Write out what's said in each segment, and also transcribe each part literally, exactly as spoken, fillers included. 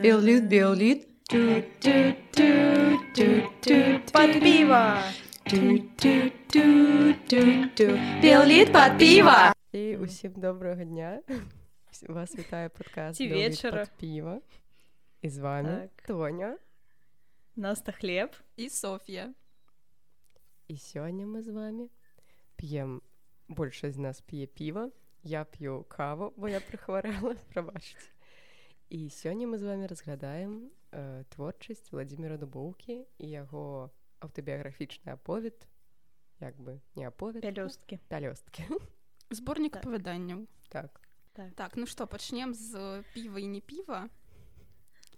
Биолит, биолит. Под пиво. Біоліт пад піва. І усім доброго дня. Вас вітає подкаст «Біоліт пад піва». І з вами так. Тоня, Наста Хлеб і Софія. І сьогодні ми з вами п'ємо, більшість з нас п'є пиво, я п'ю каву, бо я прихворела, пробачте. І сьогодні ми з вами розглядаємо е, творчість Владимира Дубоўкі і його автобіографічний оповід, як би, не оповід, Пялёсткі. Пялёсткі. Зборник так. оповіданняў. Так. так. Так, ну што, пачнем з піва і не піва.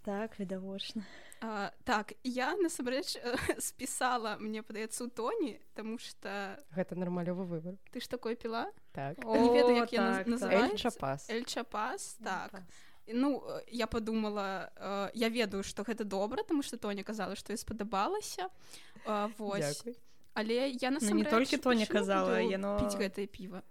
Так, відавочна. А, так, я, насамрэч, спісала, мне падаецца, у Тоні, таму што... Гэта нармалёвы выбор. Ты ж такое піла? Так. О, не ведаю, як так, я так. называецца. Эль-Чапас. Эль-Чапас, так. Ну, я подумала, э, я ведаю, што гэта добра, таму што Тоня казала, што ёй спадабалася. Э, вось. Дзякуй. Але я насамрэч... Ну, не толькі Тоня казала, яно... піць гэтае піва.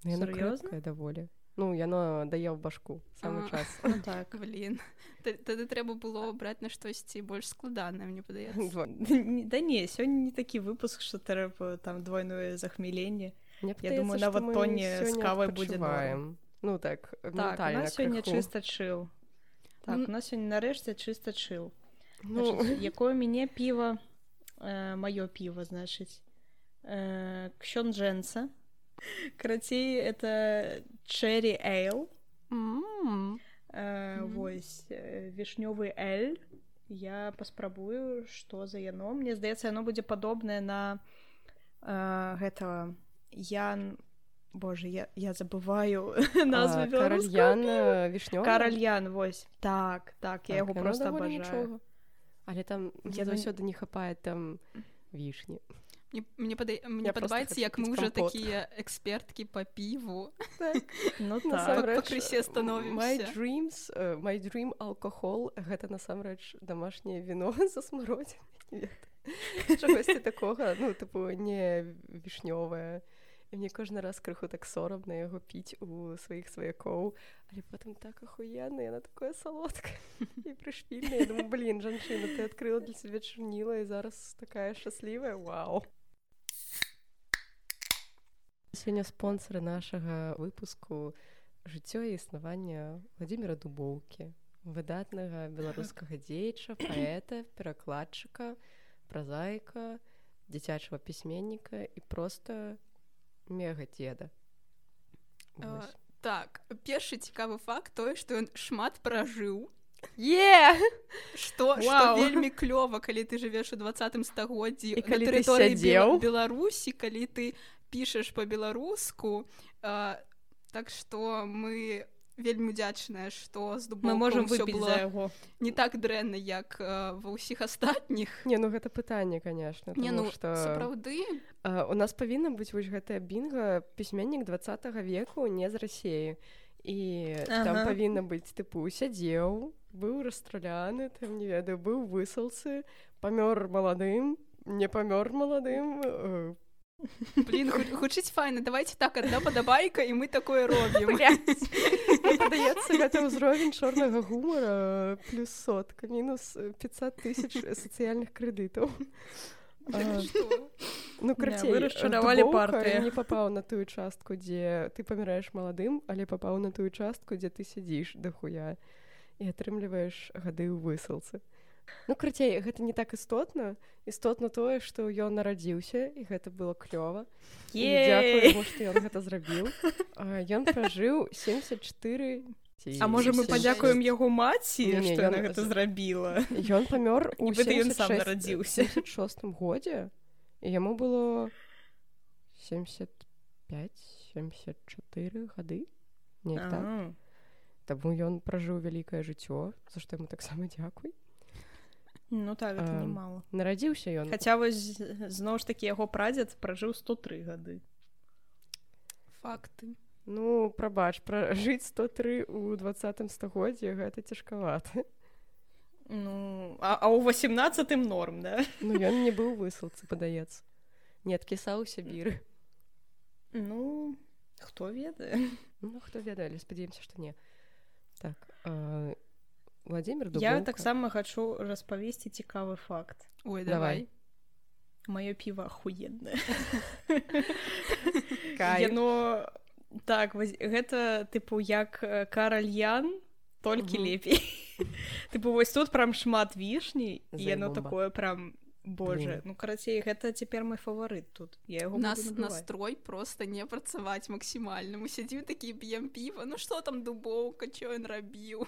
Яно Сур'ёзна? крепкае даволі. Ну, яно дае ў башку, самы А, час. Ну, так. Блін. Тады трэба было браць на штосьці больш складанае, мне падаецца. Да не, сёння не такі выпуск, што трэба там двойное захмеленне. Мне Я думаю, нават Тоні з кавай будзе норм. Ну, так, Так, у ментальна нас сёння крыху. чыста чыл. Так, Ну, у нас сёння нарэшце чыста чыл. Ну, Значыць, якое мяне піва, э, маё піва, значыць, э, Ксёнджэнца. Карацей, это Cherry Ale. М. Э, Мгм. Вось, э, вішнёвы эль. Я паспрабую, што за яно. Мне здаецца, яно будзе падобнае на э, гэтага Ян... Боже, я, я забываю назву беларускую. Каральян вішнёвы? Каральян, вось. Так, так, я яго проста абажаю. Але там Я мне дум- заўсёды не хапае там вішні. Мне, мне, пада... мне Я просто падабаецца, хочу як піць мы ўжо кампот. такія эксперткі па піву. Ну Насамрэч, так. па крысе становімся. My dreams, uh, my dream alcohol, гэта насамрэч домашняе віно за смародзінай. Чагосьці такога, ну, тыпу, не вішнёвае. І мне кожны раз крыху так сорамна яго піць у сваіх сваякоў, але потым так ахуенна, яна такое салодкае і прышпільная. Я думаю, блін, жанчына, ты адкрыла для сябе чарніла і зараз такая шчаслівая, вау. Сёння спонсары нашага выпуску «Жыццё і існаванне» Владимира Дубоўкі, выдатнага беларускага дзеяча, паэта, перакладчыка, празаіка, дзіцячага пісьменніка і проста мега-дзеда. А, так, першы цікавы факт тое, што ён шмат пражыў. Е! Што, што Вау. вельмі клёва, калі ты жывеш у дваццатым стагоддзі І на калі ты тэрыторыі сядзеў. Бела- Беларусі, калі ты пішаш па-беларуску. А, так што мы вельмі удзячныя, што з Мы можам Дубоўкам усё выпіць было за яго. не так дрэнна, як а, ва ўсіх астатніх. Не, ну гэта пытанне, конечно, Не, тому ну, што сапраўды, а, у нас павінна быць вось гэтая бінга пісьменнік дваццатага веку не з Расіі. І там Ага. павінна быць, тыпу, сядзеў, быў расстраляны, там, не ведаю, быў у высылцы, памёр маладым, не памёр маладым. э, блін, гу- гучыць файна. Давайте так, адна падабайка, і мы такое робім. Мне падаецца, гэта ўзровень чорнага гумара плюс сотка, мінус пятьсот тысяч сацыяльных крэдытаў. А, Што? Ну, Не, карацей, вы расчаравалі Дубоўка партыю. не папаў на тую частку, дзе ты паміраеш маладым, але папаў на тую частку, дзе ты сядзіш дахуя і атрымліваеш гады ў высылцы. Ну, карацей, гэта не так істотна. Істотна тое, што ён нарадзіўся, і гэта было клёва. І дзякую Ей! яму, што ён гэта зрабіў. А, Ён пражыў семьдесят четыре... ці А можа мы семьдесят падзякуем шесть. яго маці, Не, не, што яна ён гэта з- зрабіла? Ён памёр у Нібыта ён сам нарадзіўся. семьдесят шостым годзе, і яму было семьдесят пять семьдесят четыре гады. Неяк так. А, Таму ён пражыў вялікае жыццё, за што яму таксама дзякуй. Ну так, гэта Ам, немало. Нарадзіўся ён. Хаця вось зноў ж такі яго прадзед пражыў сто тры гады. Факты. Ну, прабач, пражыць сто тры ў дваццатым стагоддзі гэта цяжкавата. Ну, а, а ў восемнадцатым норм, да? Ну, ён не быў у высылцы, падаецца. Не адкісаў у Сібіры. хто ведае? Ну, хто ведае, але спадзяемся, што не. Так, э, Владимир Дубоўка. Я таксама хачу распавесці цікавы факт. Ой, давай. Маё піва ахуеннае. Кайф. Яно... Так, вось, гэта, тыпу, як каральян, толькі угу. лепей. Тыпу, вось тут прям шмат вішні, і яно такое прям... Боже, ну, карацей, гэта цяпер мой фаварыт тут. Я яго Нас буду набываць. настрой просто не працаваць максімальна. Мы сядзім такі, п'ем піва. Ну, што там Дубоўка, што ён рабіў?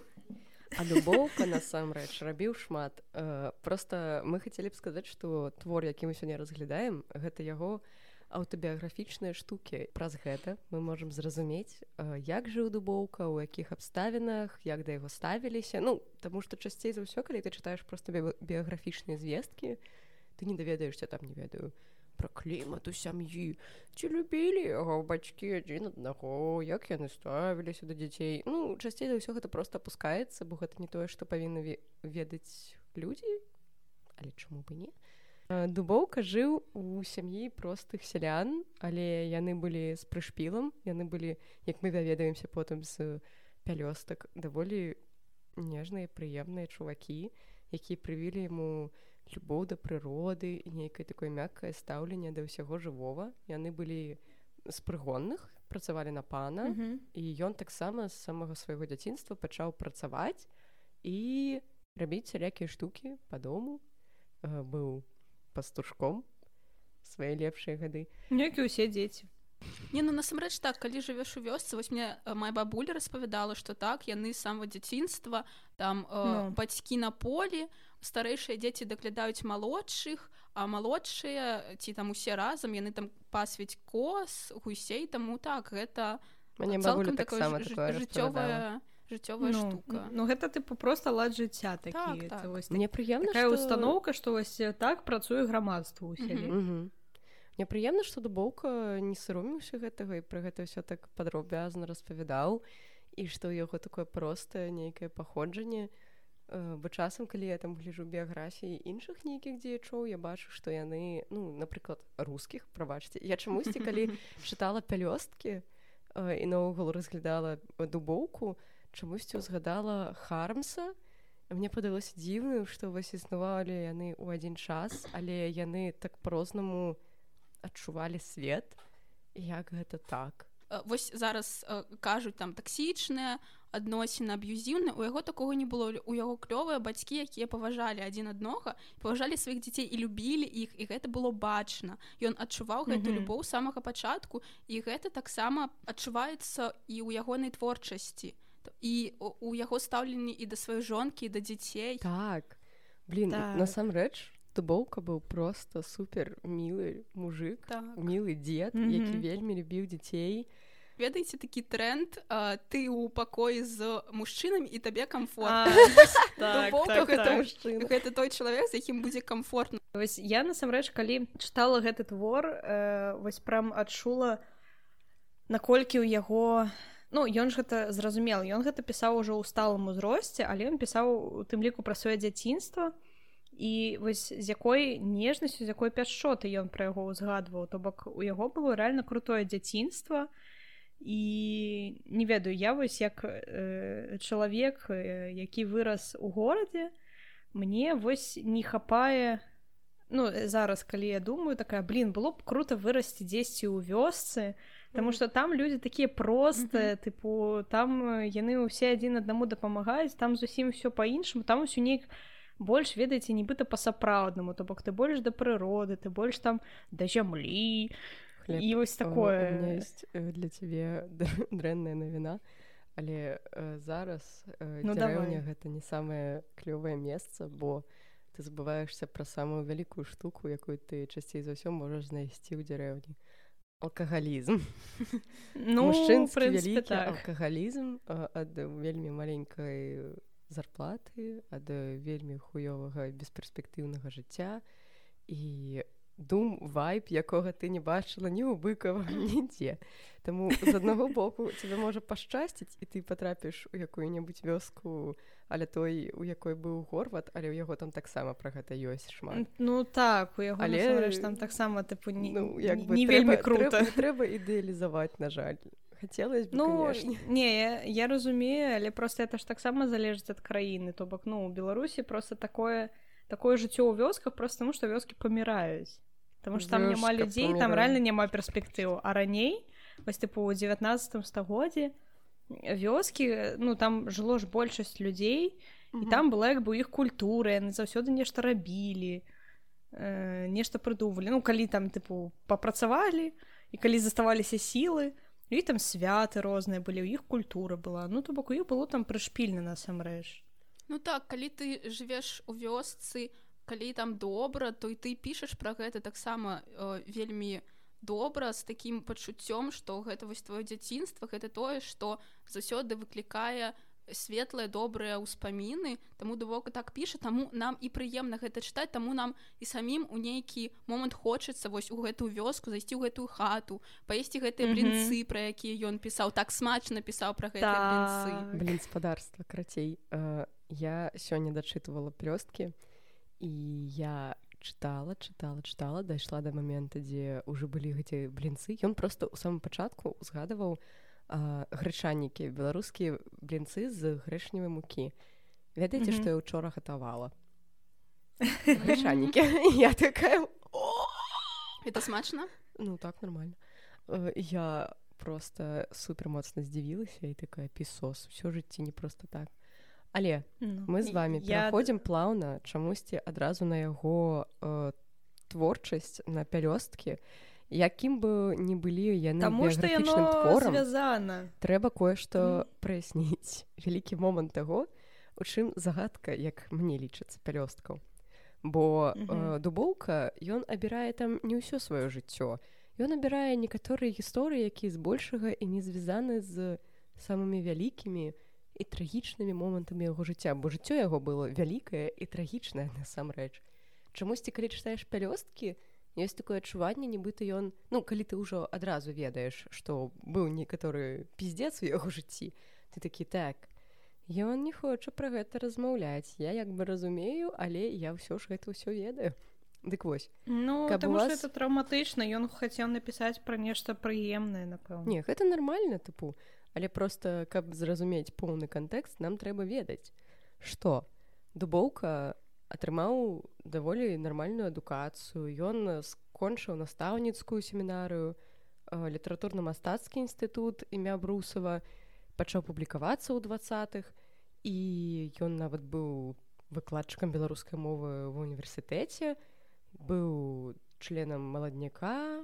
А Дубоўка, насамрэч, рабіў шмат. Э, просто мы хацелі б сказаць, што твор, які мы сёння разглядаем, гэта яго аўтабіяграфічныя штукі. Праз гэта мы можам зразумець, э, як жыў Дубоўка, у якіх абставінах, як да яго ставіліся. Ну, таму што часцей за ўсё, калі ты чытаеш проста би- біяграфічныя звесткі, ты не даведаешся там, не ведаю, пра клімат у сям'і, ці любілі яго бацькі адзін аднаго, як яны ставіліся да дзяцей. Ну, часцей за ўсё гэта проста апускаецца, бо гэта не тое, што павінны ве- ведаць людзі, але чаму бы не? Дубоўка жыў у сям'і простых сялян, але яны былі з прышпілам, яны былі, як мы даведаемся потым з пялёстак, даволі нежныя, прыемныя чувакі, якія прывілі яму любоў да прыроды і нейкае такое мяккае стаўленне да ўсяго жывога. Яны былі з прыгонных, працавалі на пана, Мгм. і ён таксама з самага свайго дзяцінства пачаў працаваць і рабіць сялякія штукі па дому. Э, Быў пастушком свае лепшыя гады. Як і ўсе дзеці. Не, ну насамрэч так, калі жывеш у вёсцы, вось мне э, моя бабуля распавядала, што так, яны з самага дзяцінства, там э, Ну. бацькі на полі, старэйшыя дзеці даглядаюць малодшых, а малодшыя, ці там усе разам, яны там пасвіць коз, гусей, таму так, гэта Мне цалкам бабуля такое таксама ж- такое распавядала. жыццёвая жыццёвая Ну, штука. ну, гэта, тыпу, проста лад жыцця такі. Так, Це так. вось Мне прыемна, такая што... установка, што вось так працуе грамадства ў сяле. Мгм. Мне прыемна, што Дубоўка не саромеўся гэтага і пра гэта ўсё так падрабязна распавядаў, і што ў яго такое простае нейкае паходжанне. Э, Бо часам, калі я там гляджу біяграфіі іншых нейкіх дзеячоў, я бачу, што яны, ну, напрыклад, рускіх, прабачце. Я чамусьці, калі чытала пялёсткі э, і наогул разглядала Дубоўку, чамусьці ўзгадала Хармса. Мне падалося дзіўным, што вось існавалі яны ў адзін час, але яны так по-рознаму адчувалі свет. Як гэта так? Э, Вось зараз э, кажуць там таксічныя адносіны, аб'юзіўныя, у яго такога не было. У яго клёвыя бацькі, якія паважалі адзін аднога, паважалі сваіх дзяцей і любілі іх, і гэта было бачна. Ён адчуваў гэту Мгм. любоў з самага пачатку, і гэта таксама адчуваецца і ў ягонай творчасці, і у- у яго стаўленні і да сваёй жонкі, і да дзяцей. Так. Блін, Так. насамрэч, Дубоўка быў проста супер мілы мужик, Так. мілы дзед, Мгм. які вельмі любіў дзяцей. Ведаеце такі тренд, а, ты ў пакоі з мужчынамі і табе А, камфортна. так, Дубоўка так, гэта так. мужчына. Гэта той чалавек, з якім будзе камфортна. Вось я насамрэч, калі чытала гэты твор, э, вось прям адчула, наколькі ў яго... Ну, ён ж гэта зразумел, ён гэта пісаў ужо ў сталым узросце, але ён пісаў у тым ліку пра сваё дзяцінства, і вось з якой нежнасцю, з якой пяшчоты ён пра яго ўзгадваў. То бок у яго было рэальна крутое дзяцінства, і не ведаю, я вось як э, чалавек, э, які вырас у горадзе, мне вось не хапае. Ну, зараз, калі я думаю, такая, блин, было б круто вырасці дзесьці ў вёсцы, таму што там людзі такія простыя, тыпу, там э, яны ўсе адзін аднаму дапамагаюць, там зусім ўсё па-іншаму, там усё неяк больш, ведаеце, нібыта па-сапраўднаму, то бок ты больш да прыроды, ты больш там да зямлі. Хлеб. І вось О, такое. У меня есть э, для тебе др- дрэнная навіна, але э, зараз э, Ну, дзярэўня давай. гэта не самае клёвае месца, бо ты забываешься пра самую вялікую штуку, якую ты часцей за ўсё можаш знайсці ў дзярэўні. Алкагалізм. Ну, в Мужчынскі прынцыпе, вялікі так. алкагалізм а, ад вельмі маленькай зарплаты, ад вельмі хуёвага бесперспектыўнага жыцця. І дум вайб, якога ты не бачыла ні ў Быкава, нідзе. Таму з аднаго боку тебе можа пашчасціць, і ты патрапіш у якую-небудзь вёску, але той, у якой быў Горват, але ў яго там таксама пра гэта ёсць шмат. Ну так, у яго але... насамрэч там таксама тыпу не, ну, як не, бы, не трэба, вельмі крута. Трэба, трэба ідэалізаваць, на жаль. Хацелось бы, ну, конечно. Не, я, я разумею, але просто это ж таксама залежыць ад краіны. То бок, ну, у Беларусі просто такое, такое жыццё ў вёсках просто таму, што вёскі паміраюць. Таму што там няма людзей, там рэальна няма перспектыў. А раней, вось тыпу ў дзевятнаццатым стагоддзі вёскі, ну, там жыло ж большасць людзей, і там была як бы іх культура, яны заўсёды нешта рабілі, э, нешта прыдумвалі. Ну, калі там, тыпу, папрацавалі, і калі заставаліся сілы, і там святы розныя былі, у іх культура была. Ну, то бок, у іх было там прышпільна насамрэч. Ну так, калі ты жывеш у вёсцы, калі там добра, то і ты пішаш пра гэта таксама э, вельмі добра, з такім пачуццём, што гэта вось твоё дзяцінства, гэта тое, што заўсёды выклікае светлыя, добрыя ўспаміны, таму Дубоўка так піша, таму нам і прыемна гэта чытаць, таму нам і самім у нейкі момант хочацца вось у гэтую вёску, зайсці ў гэтую хату, паесці гэтыя mm-hmm. блінцы, пра якія ён пісаў, так смачна пісаў пра гэтыя да. блінцы. Блінспадарства, крацей. Uh, я сёння дачытывала плёсткі, і я чытала, чытала, чытала, дайшла да момента, дзе ўжо былі гэты блінцы. Ён проста ў самым пачатку узгадаваў а, грэчанікі, беларускія блінцы з грэшневай мукі. Ведаеце, mm-hmm. што я ўчора гатавала? Грэчанікі. Я такая... Это смачна? Ну, так, нормально. Я просто супер моцна здзівілася і такая пісос. Усё жыцці не просто так. Але ну, мы з вами я... пераходзім плаўна чамусьці адразу на яго э, творчасць, на пялёсткі. Якім бы ні былі яны біяграфічным творам, звязана. Трэба кое-што mm. праясніць. Вялікі момант таго, у чым загадка, як мне лічыцца, пялёсткаў. Бо mm-hmm. э, Дубоўка, ён абірае там не ўсё сваё жыццё. Ён абірае некаторыя гісторыі, якія збольшага і не звязаны з самымі вялікімі і трагічнымі момантамі яго жыцця, бо жыццё яго было вялікае і трагічнае насамрэч. Чамусьці, калі чытаеш пялёсткі, ёсць такое адчуванне, нібыта ён, ну, калі ты ўжо адразу ведаеш, што быў некаторы піздзец у яго жыцці, ты такі, так, ён не хоча пра гэта размаўляць. Я як бы разумею, але я ўсё ж гэта ўсё ведаю. Дык вось. Ну, таму вас... што это траўматычна, ён хацеў напісаць пра нешта прыемнае, напэўна. Не, гэта нармальна, тыпу. Але проста, каб зразумець поўны кантэкст, нам трэба ведаць, што Дубоўка атрымаў даволі нармальную адукацыю, ён скончыў настаўніцкую семінарыю, літаратурна-мастацкі інстытут імя Брусава, пачаў публікавацца ў дваццатых, і ён нават быў выкладчыкам беларускай мовы ва ўніверсітэце, быў членам маладняка,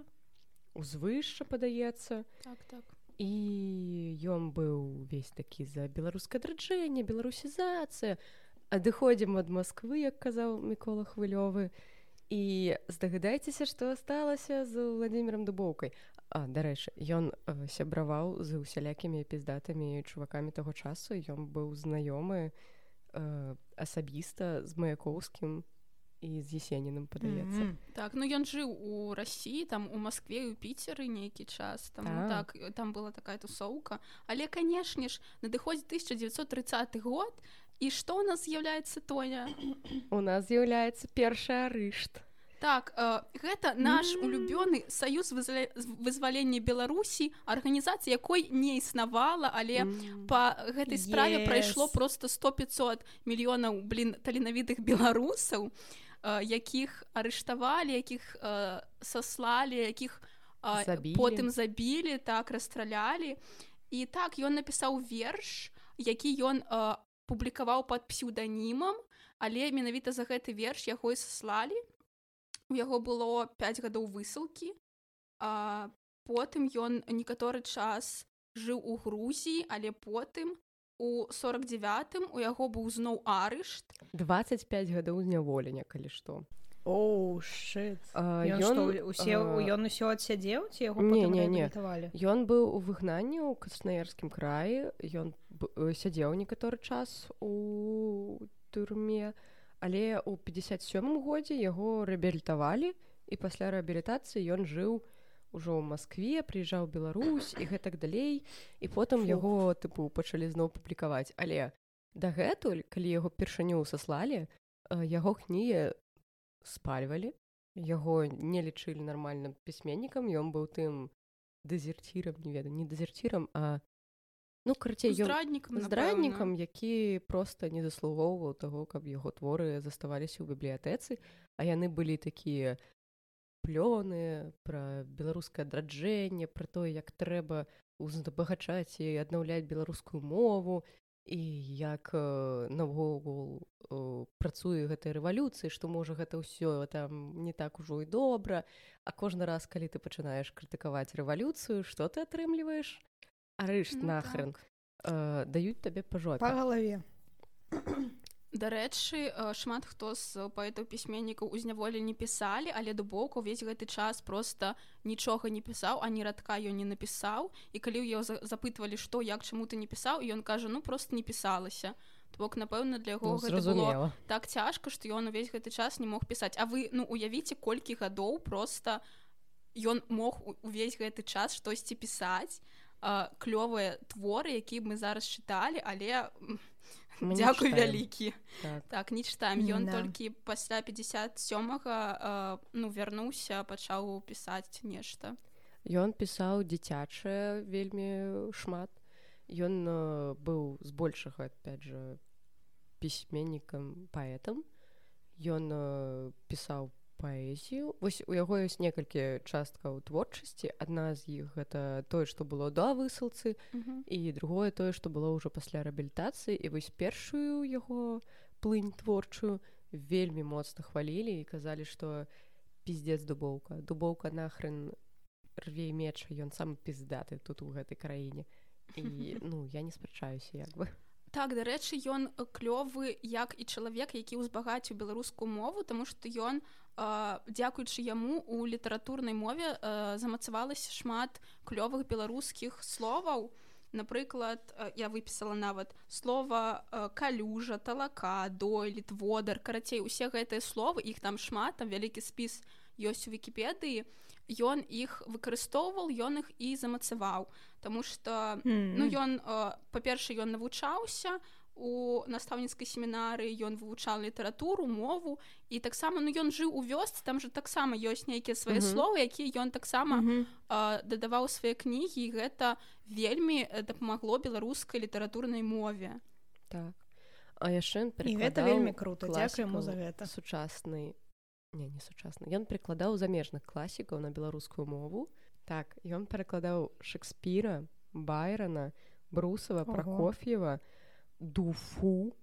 узвышша, падаецца. Так, так. І ён быў весь такі за беларускае адраджэнне, беларусізацыя. Адыходзім ад Масквы, як казаў Мікола Хвылёвы. І здагадайцеся, што асталася з Владзімірам Дубоўкай. А, дарэчы, ён э, сябраваў з усялякімі піздатымі чувакамі таго часу. Ён быў знаёмы э, асабіста з Маяковскім і з Есенінам, падаецца. Mm-hmm. Так, ну ён жыў у Расіі, там у Маскве і ў Піцеры нейкі час, там, а. так, там была такая тусоўка. Але, канешне ж, надыходзіць тысяча дзевяцьсот трыццаты год, і што ў нас з'яўляецца тое? У нас з'яўляецца першы арышт. Так, э, гэта наш улюбёны саюз вызваля... вызвалення Беларусі, арганізацыя якой не існавала, але mm. па гэтай справе yes. прайшло просто сто-пятьсот мільёнаў, блин, таленавітых беларусаў, э, якіх арыштавалі, якіх э, саслалі, якіх э, потым забілі, так, расстралялі. І так, ён напісаў верш, які ён э, публікаваў пад псеўданімам, але менавіта за гэты верш яго і саслалі. У яго было пяць гадоў высылкі, а потым ён некаторы час жыў у Грузіі, але потым у сорок девятым у яго быў зноў арышт. дваццаць пяць гадоў зняволення, калі што. Оу, шыт. Ён усё адсядзеў, ці яго потым рэабілітавалі? Ён быў у выгнанні ў Краснаярскім краі, ён сядзеў некаторы час у турме, але ў пятьдесят сёмым годзе яго рэабілітавалі, і пасля рэабілітацыі ён жыў ужо ў Маскве, прыязджаў у Беларусь і гэтак далей, і потым Фух. яго тыпу пачалі зноў публікаваць. Але дагэтуль, калі яго першыню саслалі, яго кнігі спальвалі, яго не лічылі нармальным пісьменнікам, ён быў тым дэзерцірам, не ведаю, не дэзерцірам, а ну, карацей, здраднікам, здраднікам, які проста не заслугоўваў таго, каб яго творы заставаліся ў бібліятэцы, а яны былі такія плёны пра беларускае адраджэнне, пра тое, як трэба узбагачаць і аднаўляць беларускую мову, і як э, навогул э, працуе гэтай рэвалюцыі, што можа гэта ўсё там не так ужо і добра, а кожны раз, калі ты пачынаеш крытыкаваць рэвалюцыю, што ты атрымліваеш? Арышт ну, нахрен. Так. Э, даюць табе па жопе. Па галаве. Дарэчы, шмат хто з паэтаў-пісьменнікаў у зняволі не пісалі, але Дубоўка ўвесь гэты час проста нічога не пісаў, ані радка ён не напісаў. І калі ў яго запытвалі, што, як, чаму ты не пісаў, і ён кажа, ну, проста не пісалася. То бок, напэўна, для яго ну, гэта было так цяжка, што ён увесь гэты час не мог пісаць. А вы, ну, уявіце, колькі гадоў проста ён мог увесь гэты час штосьці пісаць, э, клёвыя творы, якія мы зараз чыталі, але... Мы Дзякуй вялікі. Так. так, не чытаем. Ён да. толькі пасля пятьдесят сёмага э, ну, вярнуўся, пачаў пісаць нешта. Ён пісаў дзіцячае вельмі шмат. Ён э, быў збольшага, опять же, пісьменнікам, паэтам. Ён э, пісаў паэзію. Вось у яго ёсць некалькі часткаў творчасці. Адна з іх гэта тое, што было да высылцы, uh-huh. і другое тое, што было ўжо пасля рэабілітацыі. І вось першую яго плынь творчую вельмі моцна хвалілі і казалі, што пиздец Дубоўка. Дубоўка нахрен рве меча, ён самы пиздаты тут у гэтай краіне. І ну, я не спрачаюся як бы. Так, дарэчы, ён клёвы як і чалавек, які ўзбагаціў беларускую мову, таму што ён, э, дзякуючы яму, у літаратурнай мове э, замацавалася шмат клёвых беларускіх словаў. Напрыклад, э, я выпісала нават слова э, калюжа, талака, дойлід, водар. Карацей, усе гэтыя словы, іх там шмат, там вялікі спіс ёсць у Вікіпедыі. Ён іх выкарыстоўваў, ён іх і замацаваў. Таму што, mm-hmm. ну, ён, э, па-першае, ён навучаўся у настаўніцкай семінарыі, ён вывучаў літаратуру, мову, і таксама, ну, ён жыў у вёсцы, там жа таксама ёсць нейкія свае mm-hmm. словы, якія ён таксама mm-hmm. э, дадаваў свае кнігі, і гэта вельмі дапамагло беларускай літаратурнай мове. Так. А яшчэ і гэта вельмі крута, дзякуй яму за гэта. Сучаснай Не, не сучасны. Ён перакладаў замежных класікаў на беларускую мову. Так, ён перакладаў Шекспіра, Байрона, Брусава, Пракоф'ева, Дуфу,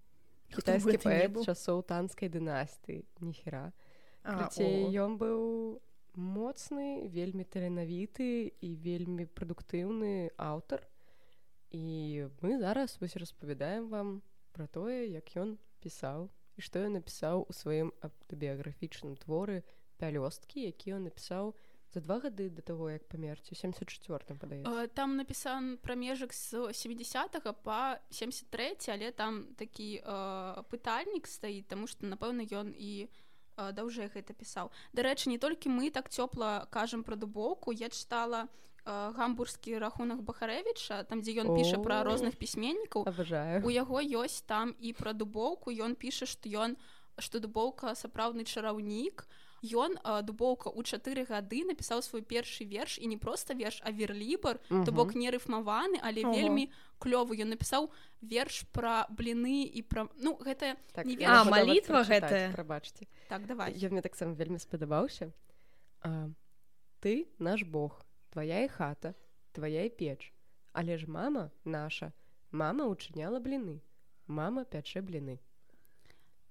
кітайскі паэт часоў танскай дынастыі. Ніхера. Карацей, ён быў моцны, вельмі таленавіты і вельмі прадуктыўны аўтар. І мы зараз вось распавядаем вам пра тое, як ён пісаў. І што ён напісаў у сваім аўтабіяграфічным творы «Пялёсткі», які ён напісаў за два гады да таго, як памерці, у семьдесят чвёртым, падаецца. Там напісан прамежак з сямідзясятага па семьдесят трэці, але там такі э, пытальнік стаіць, таму што, напэўна, ён і э, даўжэй гэта пісаў. Дарэчы, не толькі мы так цёпла кажам пра Дубоўку, я чытала гамбургскі рахунак Бахарэвіча, там, дзе ён піша пра розных пісьменнікаў. Абажаю. У яго ёсць там і пра Дубоўку, ён піша, што ён, што Дубоўка сапраўдны чараўнік. Ён, Дубоўка, у чатыры гады напісаў свой першы верш, і не проста верш, а верлібр, uh-huh. то бок не рыфмаваны, але uh-huh. вельмі клёвы. Ён напісаў верш пра бліны і пра... Ну, гэта так, не верш. А, малітва гэтая. Прабачце. Так, давай. Ён мне таксама вельмі спадабаўся. А, ты наш Бог. Твоя і хата, твоя і печ. Але ж мама наша, мама учыняла бліны. Мама пячэ бліны.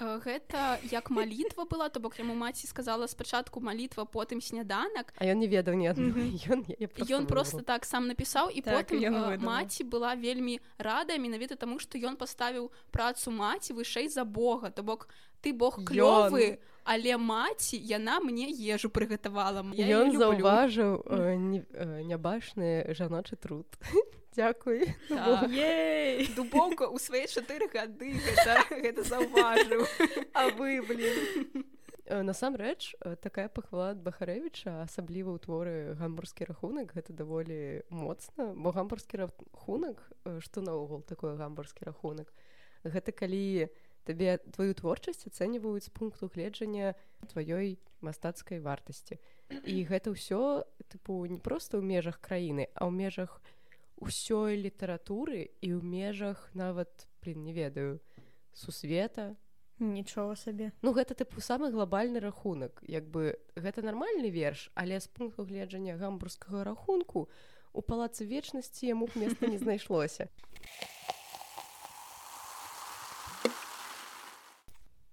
Гэта як малітва была, то бок яму маці сказала спачатку малітва, потым сняданак. А ён не ведаў ні адной. Mm-hmm. Ён просто так сам напісаў, і так, потым маці была вельмі рада, менавіта таму, што ён паставіў працу маці вышэй за Бога. То бок ты Бог клёвы, але маці, яна мне ежу прыгатавала. Ён заўважыў э, не, э, нябачны жаночы труд. Дзякуй. Так. Дубоўка ў свае чатыры гады гэта, гэта заўважыў. А вы, блин. Насамрэч, такая пахвала ад Бахарэвіча, асабліва ў творы «Гамбургскі рахунак», гэта даволі моцна, бо гамбургскі рахунак, што наогул такое гамбургскі рахунак? Гэта калі табе тваю творчасць ацэньваюць з пункту гледжання тваёй мастацкай вартасці. І гэта ўсё, тыпу, не проста ў межах краіны, а ў межах усёй літаратуры і ў межах нават, блин, не ведаю, сусвета. Нічога сабе. Ну, гэта, тыпу, самы глобальны рахунак. Як бы, гэта нармальны верш, але з пункту гледжання гамбургскага рахунку у палацы вечнасці яму б места не знайшлося.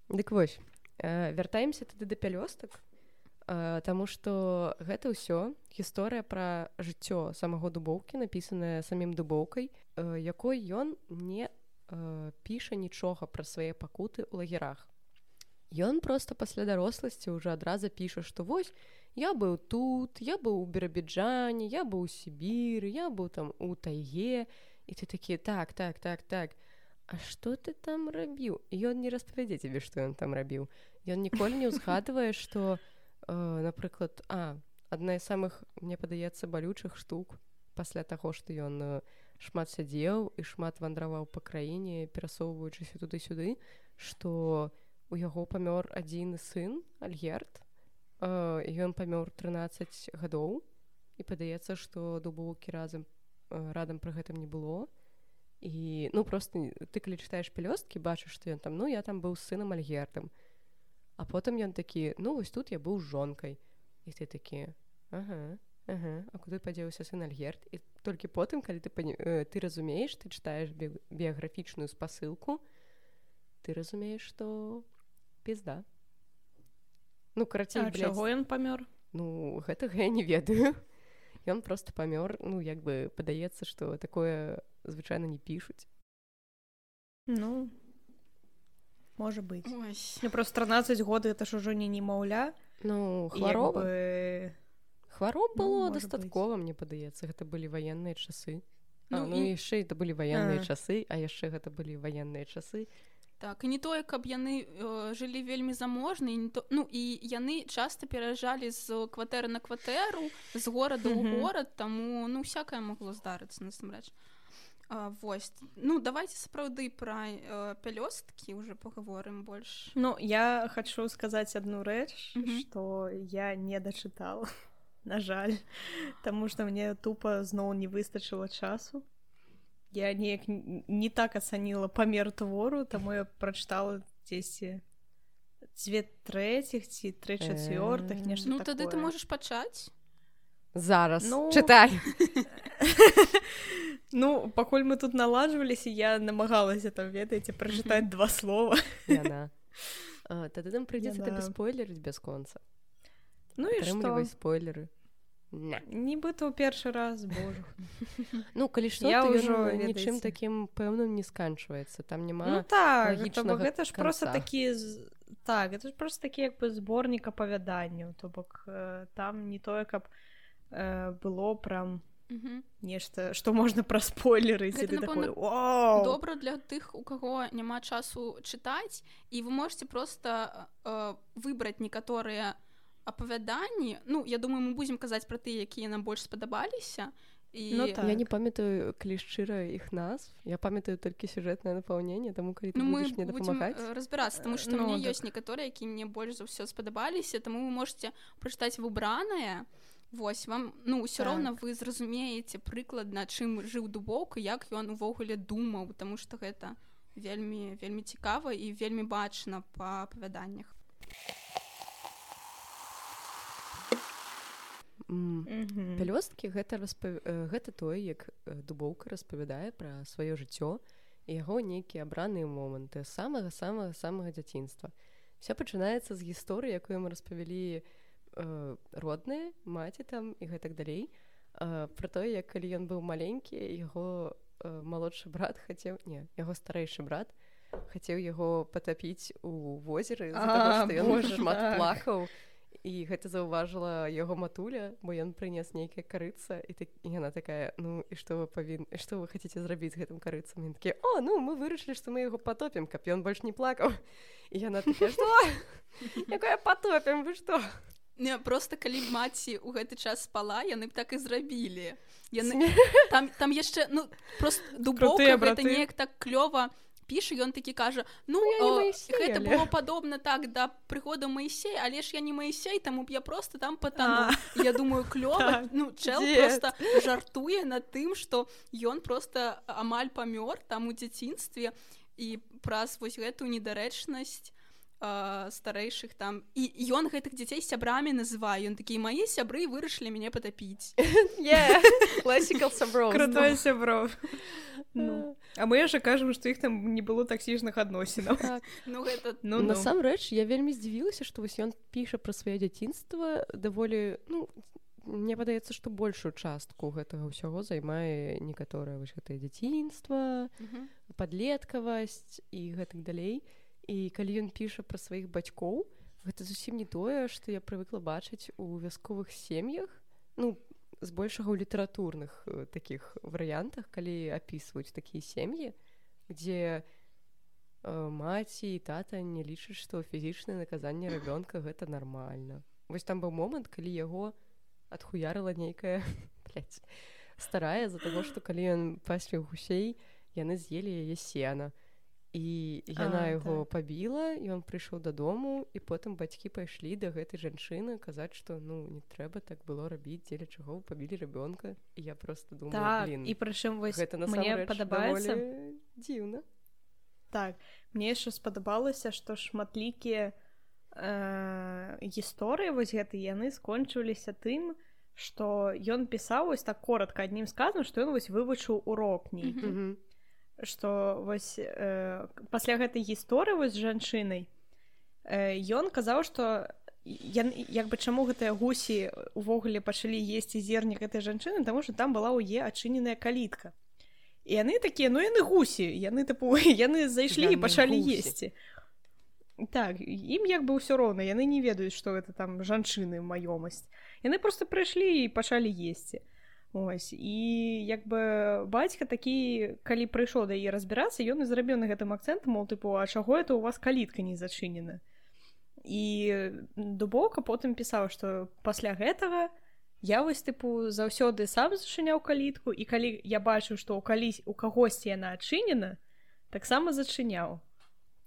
Дык вось, вяртаемся тады да пялёстак, таму што гэта ўсё гісторыя пра жыццё самого Дубоўкі, напісаная самім Дубоўкай, якой ён не піша нічога пра свае пакуты ў лагерах. Ён проста пасля даросласці ўжо адразу піша, што вось, я быў тут, я быў у Біробіджане, я быў у Сібіры, я быў там у тайге, і ты такі, так, так, так, так, а што ты там рабіў? І ён не распавядзе цябе, што ён там рабіў. Ён ніколі не ўзгадвае, што, э, напрыклад, а, адна з самых, мне падаецца, балючых штук пасля таго, што ён э, шмат сядзеў і шмат вандраваў па краіне, перасоўваючыся туды-сюды, што у яго памёр адзін сын, Альгерд, э, і ён памёр трынаццаць гадоў, і падаецца, што Дубоўкі разам, э, радам пры гэтым не было. І, ну, просто ты, калі чытаеш пялёсткі, бачыш, што ён там, ну, я там быў з сынам Альгердам. А потым ён такі, ну, вось тут я быў з жонкай. І ты такі, ага, ага, а куды падзеўся сын Альгерд? І толькі потым, калі ты, э, ты разумееш, ты чытаеш би- біяграфічную спасылку, ты разумееш, што пізда. Ну, карацей, А блядь, чаго ён памёр? ну, гэтага я не ведаю. Ён просто памёр, ну, як бы падаецца, што такое звычайна не пішуць. Ну, можа быць. Ой. Ну, просто трынаццаць год, гэта ж ужо не немаўля. Ну, І хвароба. як бы... Хвароб Ну, было можа дастаткова, мне падаецца, гэта былі ваенныя часы. А, Ну, ну, і- яшчэ это былі ваенныя А. часы, а яшчэ гэта былі ваенныя часы. Так, і не тое, каб яны э, жылі вельмі заможна, і не то... ну і яны часта пераязджалі з кватэры на кватэру, з горада ў Мгм. горад, таму ну всякае магло здарыцца насамрэч. А, вось, ну давайте сапраўды пра э, пялёсткі уже паговорым больш. Ну, я хочу сказаць адну рэч, Мгм. што я не дачытала, на жаль, таму што мне тупа зноў не выстачыла часу. Я неяк н- не так ацаніла памер твору, таму я прачытала дзесьці дзве трэціх ці тры чацвёртых, Э. нешта Ну такое. тады ты можаш пачаць. Зараз, Ну, чытай. Ну, пакуль мы тут наладжваліся, я намагалася там, ведаеце, прачытаць два слова. Яна. А, Тады нам прыйдзецца Яна. табе спойлерыць без конца. Ну і Атрымлівай што? спойлеры. На. Нібыта ў першы раз, божа. Ну, калі што, Я то ўжо, ён нічым ведаеце. такім пэўным не сканчваецца. Там Ну няма... так, лагічнага то бок гэта ж просто канца. такі з- так, это ж просто такі як бы зборнік апавяданняў, то бок э, там не тое, каб э, было прям Мгм. нешта, што можна праспойлерыць, і Гэта, ты такой, напэўна, вау! Добра для тых, у каго няма часу чытаць, і вы можете просто э, выбраць некаторыя апавяданні. Ну, я думаю, мы будзем казаць пра тыя, якія нам больш спадабаліся. І... Ну так. Я не памятаю, калі шчыра іх назв. Я памятаю толькі сюжэтнае напаўненне, таму калі ты Ну, мы будзеш мне будзем дапамагаць. э, разбірацца, таму што Ну, мне так. ёсць некаторыя, якія мне больш за ўсё спадабаліся, таму вы можете прачытаць выбранае. Вось вам, ну, ўсё Так. роўна вы зразумееце прыкладна, чым жыў Дубоўка, як ён увогуле думаў, таму што гэта вельмі вельмі цікава і вельмі бачна па апавяданнях. М. Мгм. Пялёсткі гэта распав... э, гэта тое, як э, Дубоўка распавядае пра сваё жыццё і яго нейкія абраныя моманты з самага самага самага дзяцінства. Всё пачынаецца з гісторыі, якую мы распавялі э, родныя, маці там і гэтак далей. Э, пра тое, як калі ён быў маленькі, яго э, малодшы брат хацеў, не, яго старэйшы брат хацеў яго патапіць у возеры з-за таго, А, што ён боже, шмат так. плакаў. і гэта заўважыла яго матуля, бо ён прынес нейкая карыца, і, так, і яна такая, ну, і што вы павін... што вы хацеце зрабіць з гэтым карыцам? Ён такі, о, ну, мы вырашылі, што мы яго патопім, каб ён больш не плакаў. І яна такая, што? Якое патопім, вы што? Не, просто калі маці ў гэты час спала, яны б так і зрабілі. Яны... Там, там яшчэ, ну, просто Дубоўка, гэта неяк так клёва піша, ён такі кажа, ну, ну о, гэта але... было падобна так да прыходу Маісея, але ж я не Маісей, таму б я просто там патану. Я думаю, клёва, ну, чэл просто жартуе над тым, што ён просто амаль памёр там у дзяцінстве, і праз вось гэтую недарэчнасць старэйшых там, і ён гэтых дзяцей сябрамі называе, ён такі, мае сябры вырашылі мяне патапіць. Класікал сяброў. Крутой сяброў. А мы яшчэ кажам, што іх там не было таксічных адносінаў. Ну гэта... Насамрэч, я вельмі здзівілася, што вось ён піша пра сваё дзяцінства даволі, ну, мне падаецца, што большую частку гэтага ўсяго займае некаторае вось гэтае дзяцінства, падлеткавасць і гэтак далей. І калі ён піша пра сваіх бацькоў, гэта зусім не тое, што я прывыкла бачыць у вясковых сем'ях, ну, збольшага ў літаратурных э, такіх варыянтах, калі апісваюць такія сем'і, дзе э, маці і тата не лічаць, што фізічнае наказанне рабёнка гэта нармальна. Вось там быў момант, калі яго адхуярыла нейкая, блядь, старая за таго, што калі ён пасвіў гусей, яны з'елі яе сена. І яна а, яго так. пабіла, і ён прыйшоў дадому, і потым бацькі пайшлі да гэтай жанчыны казаць, што ну не трэба так было рабіць, дзеля чаго вы пабілі рабёнка. І я просто думаю, так, блін, і прычым вось гэта мне падабаецца дзіўна. Так, мне яшчэ спадабалася, што шматлікія э, гісторыі вось гэтыя яны скончыліся тым, што ён пісаў вось так коротка аднім сказам, што ён вось вывучыў урок нейкі. Mm-hmm. Што вось э, пасля гэтай гісторыі вось з жанчынай э, ён казаў, што ян, як бы чаму гэтыя гусі увогуле пачалі есці зерні гэтай жанчыны, таму што там была ў е адчыненая калітка. І яны такія, ну яны гусі, яны тыпу, яны зайшлі яны і пачалі гусі. Есці. Так, ім як бы ўсё роўна, яны не ведаюць, што гэта там жанчыны маёмасць. Яны проста прыйшлі і пачалі есці. Ось, і як бы бацька такі, калі прыйшоў да яе разбірацца, ён і зрабіў на гэтым акцэнт, мол, тыпу, а чаго это у вас калітка не зачынена? І Дубоўка потым пісаў, што пасля гэтага я вось, тыпу, заўсёды сам зачыняў калітку, і калі я бачыў, што ў калісь у кагосьці яна адчынена, таксама зачыняў.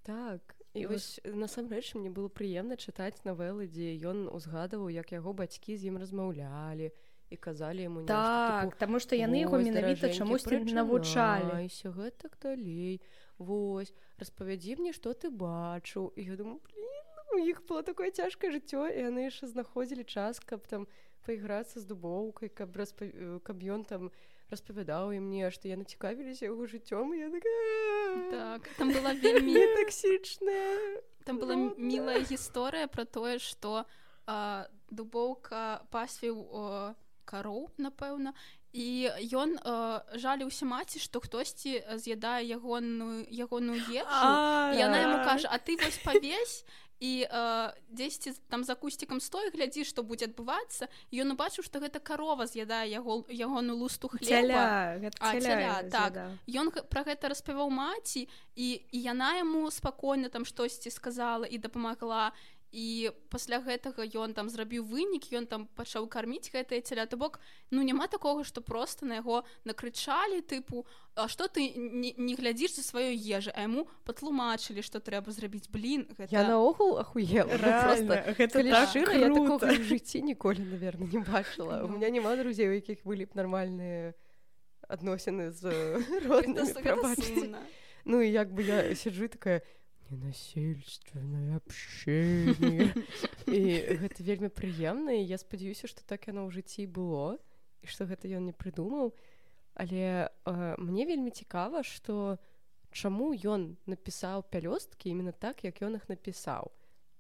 Так, і вось насамрэч мне было прыемна чытаць навелы, дзе ён узгадаваў, як яго бацькі з ім размаўлялі, і казалі яму нешта. Так, таму што яны яго менавіта чамусьці навучалі. Айся, гэтак далей. Вось, распавядзі мне, што ты бачыў. І я думаю, блін, у іх было такое цяжкае жыццё, і яны яшчэ знаходзілі час, каб там пайграцца з Дубоўкай, каб, распав... каб ён там распавядаў ім нешта. Яны цікавіліся яго жыццём, і я такая... Так, там была вельмі... таксічная. Там была мілая гісторыя пра тое, што Дубоўка пасвіў кароў, напэўна, і ён э, жаліўся маці, што хтосьці з'ядае ягоную, ягоную ежу, і яна яму кажа, а ты вось павесь, і э, дзесьці там за кусцікам стой, глядзі, што будзе адбывацца, і ён убачыў, што гэта карова з'ядае яго, ягоную лусту хлеба. Цяля, гэта а, цяля, цяля так. Ён пра гэта распавяў маці, і, і яна яму спакойна там штосьці сказала і дапамагла. І пасля гэтага ён там зрабіў вынік, ён там пачаў карміць гэтае цяля. То бок, ну няма такога, што проста на яго накрычалі, тыпу, а што ты не, не глядзіш за сваёй ежы, а яму патлумачылі, што трэба зрабіць. Блін, гэта... Я наогул ахуела. Реально, гэта так шыра, круто. Я такога в жыцці ніколі, наверное, не бачыла. У меня няма друзей, у якіх былі б нармальныя адносіны з роднымі, прабачце. Ну і як бы я сиджу такая... ненасильственное общение. І гэта вельмі прыемна, і я спадзяюся, што так яно ў жыцці было, і што гэта ён не прыдумаў. Але э, мне вельмі цікава, што чаму ён напісаў пялёсткі именно так, як ён іх напісаў.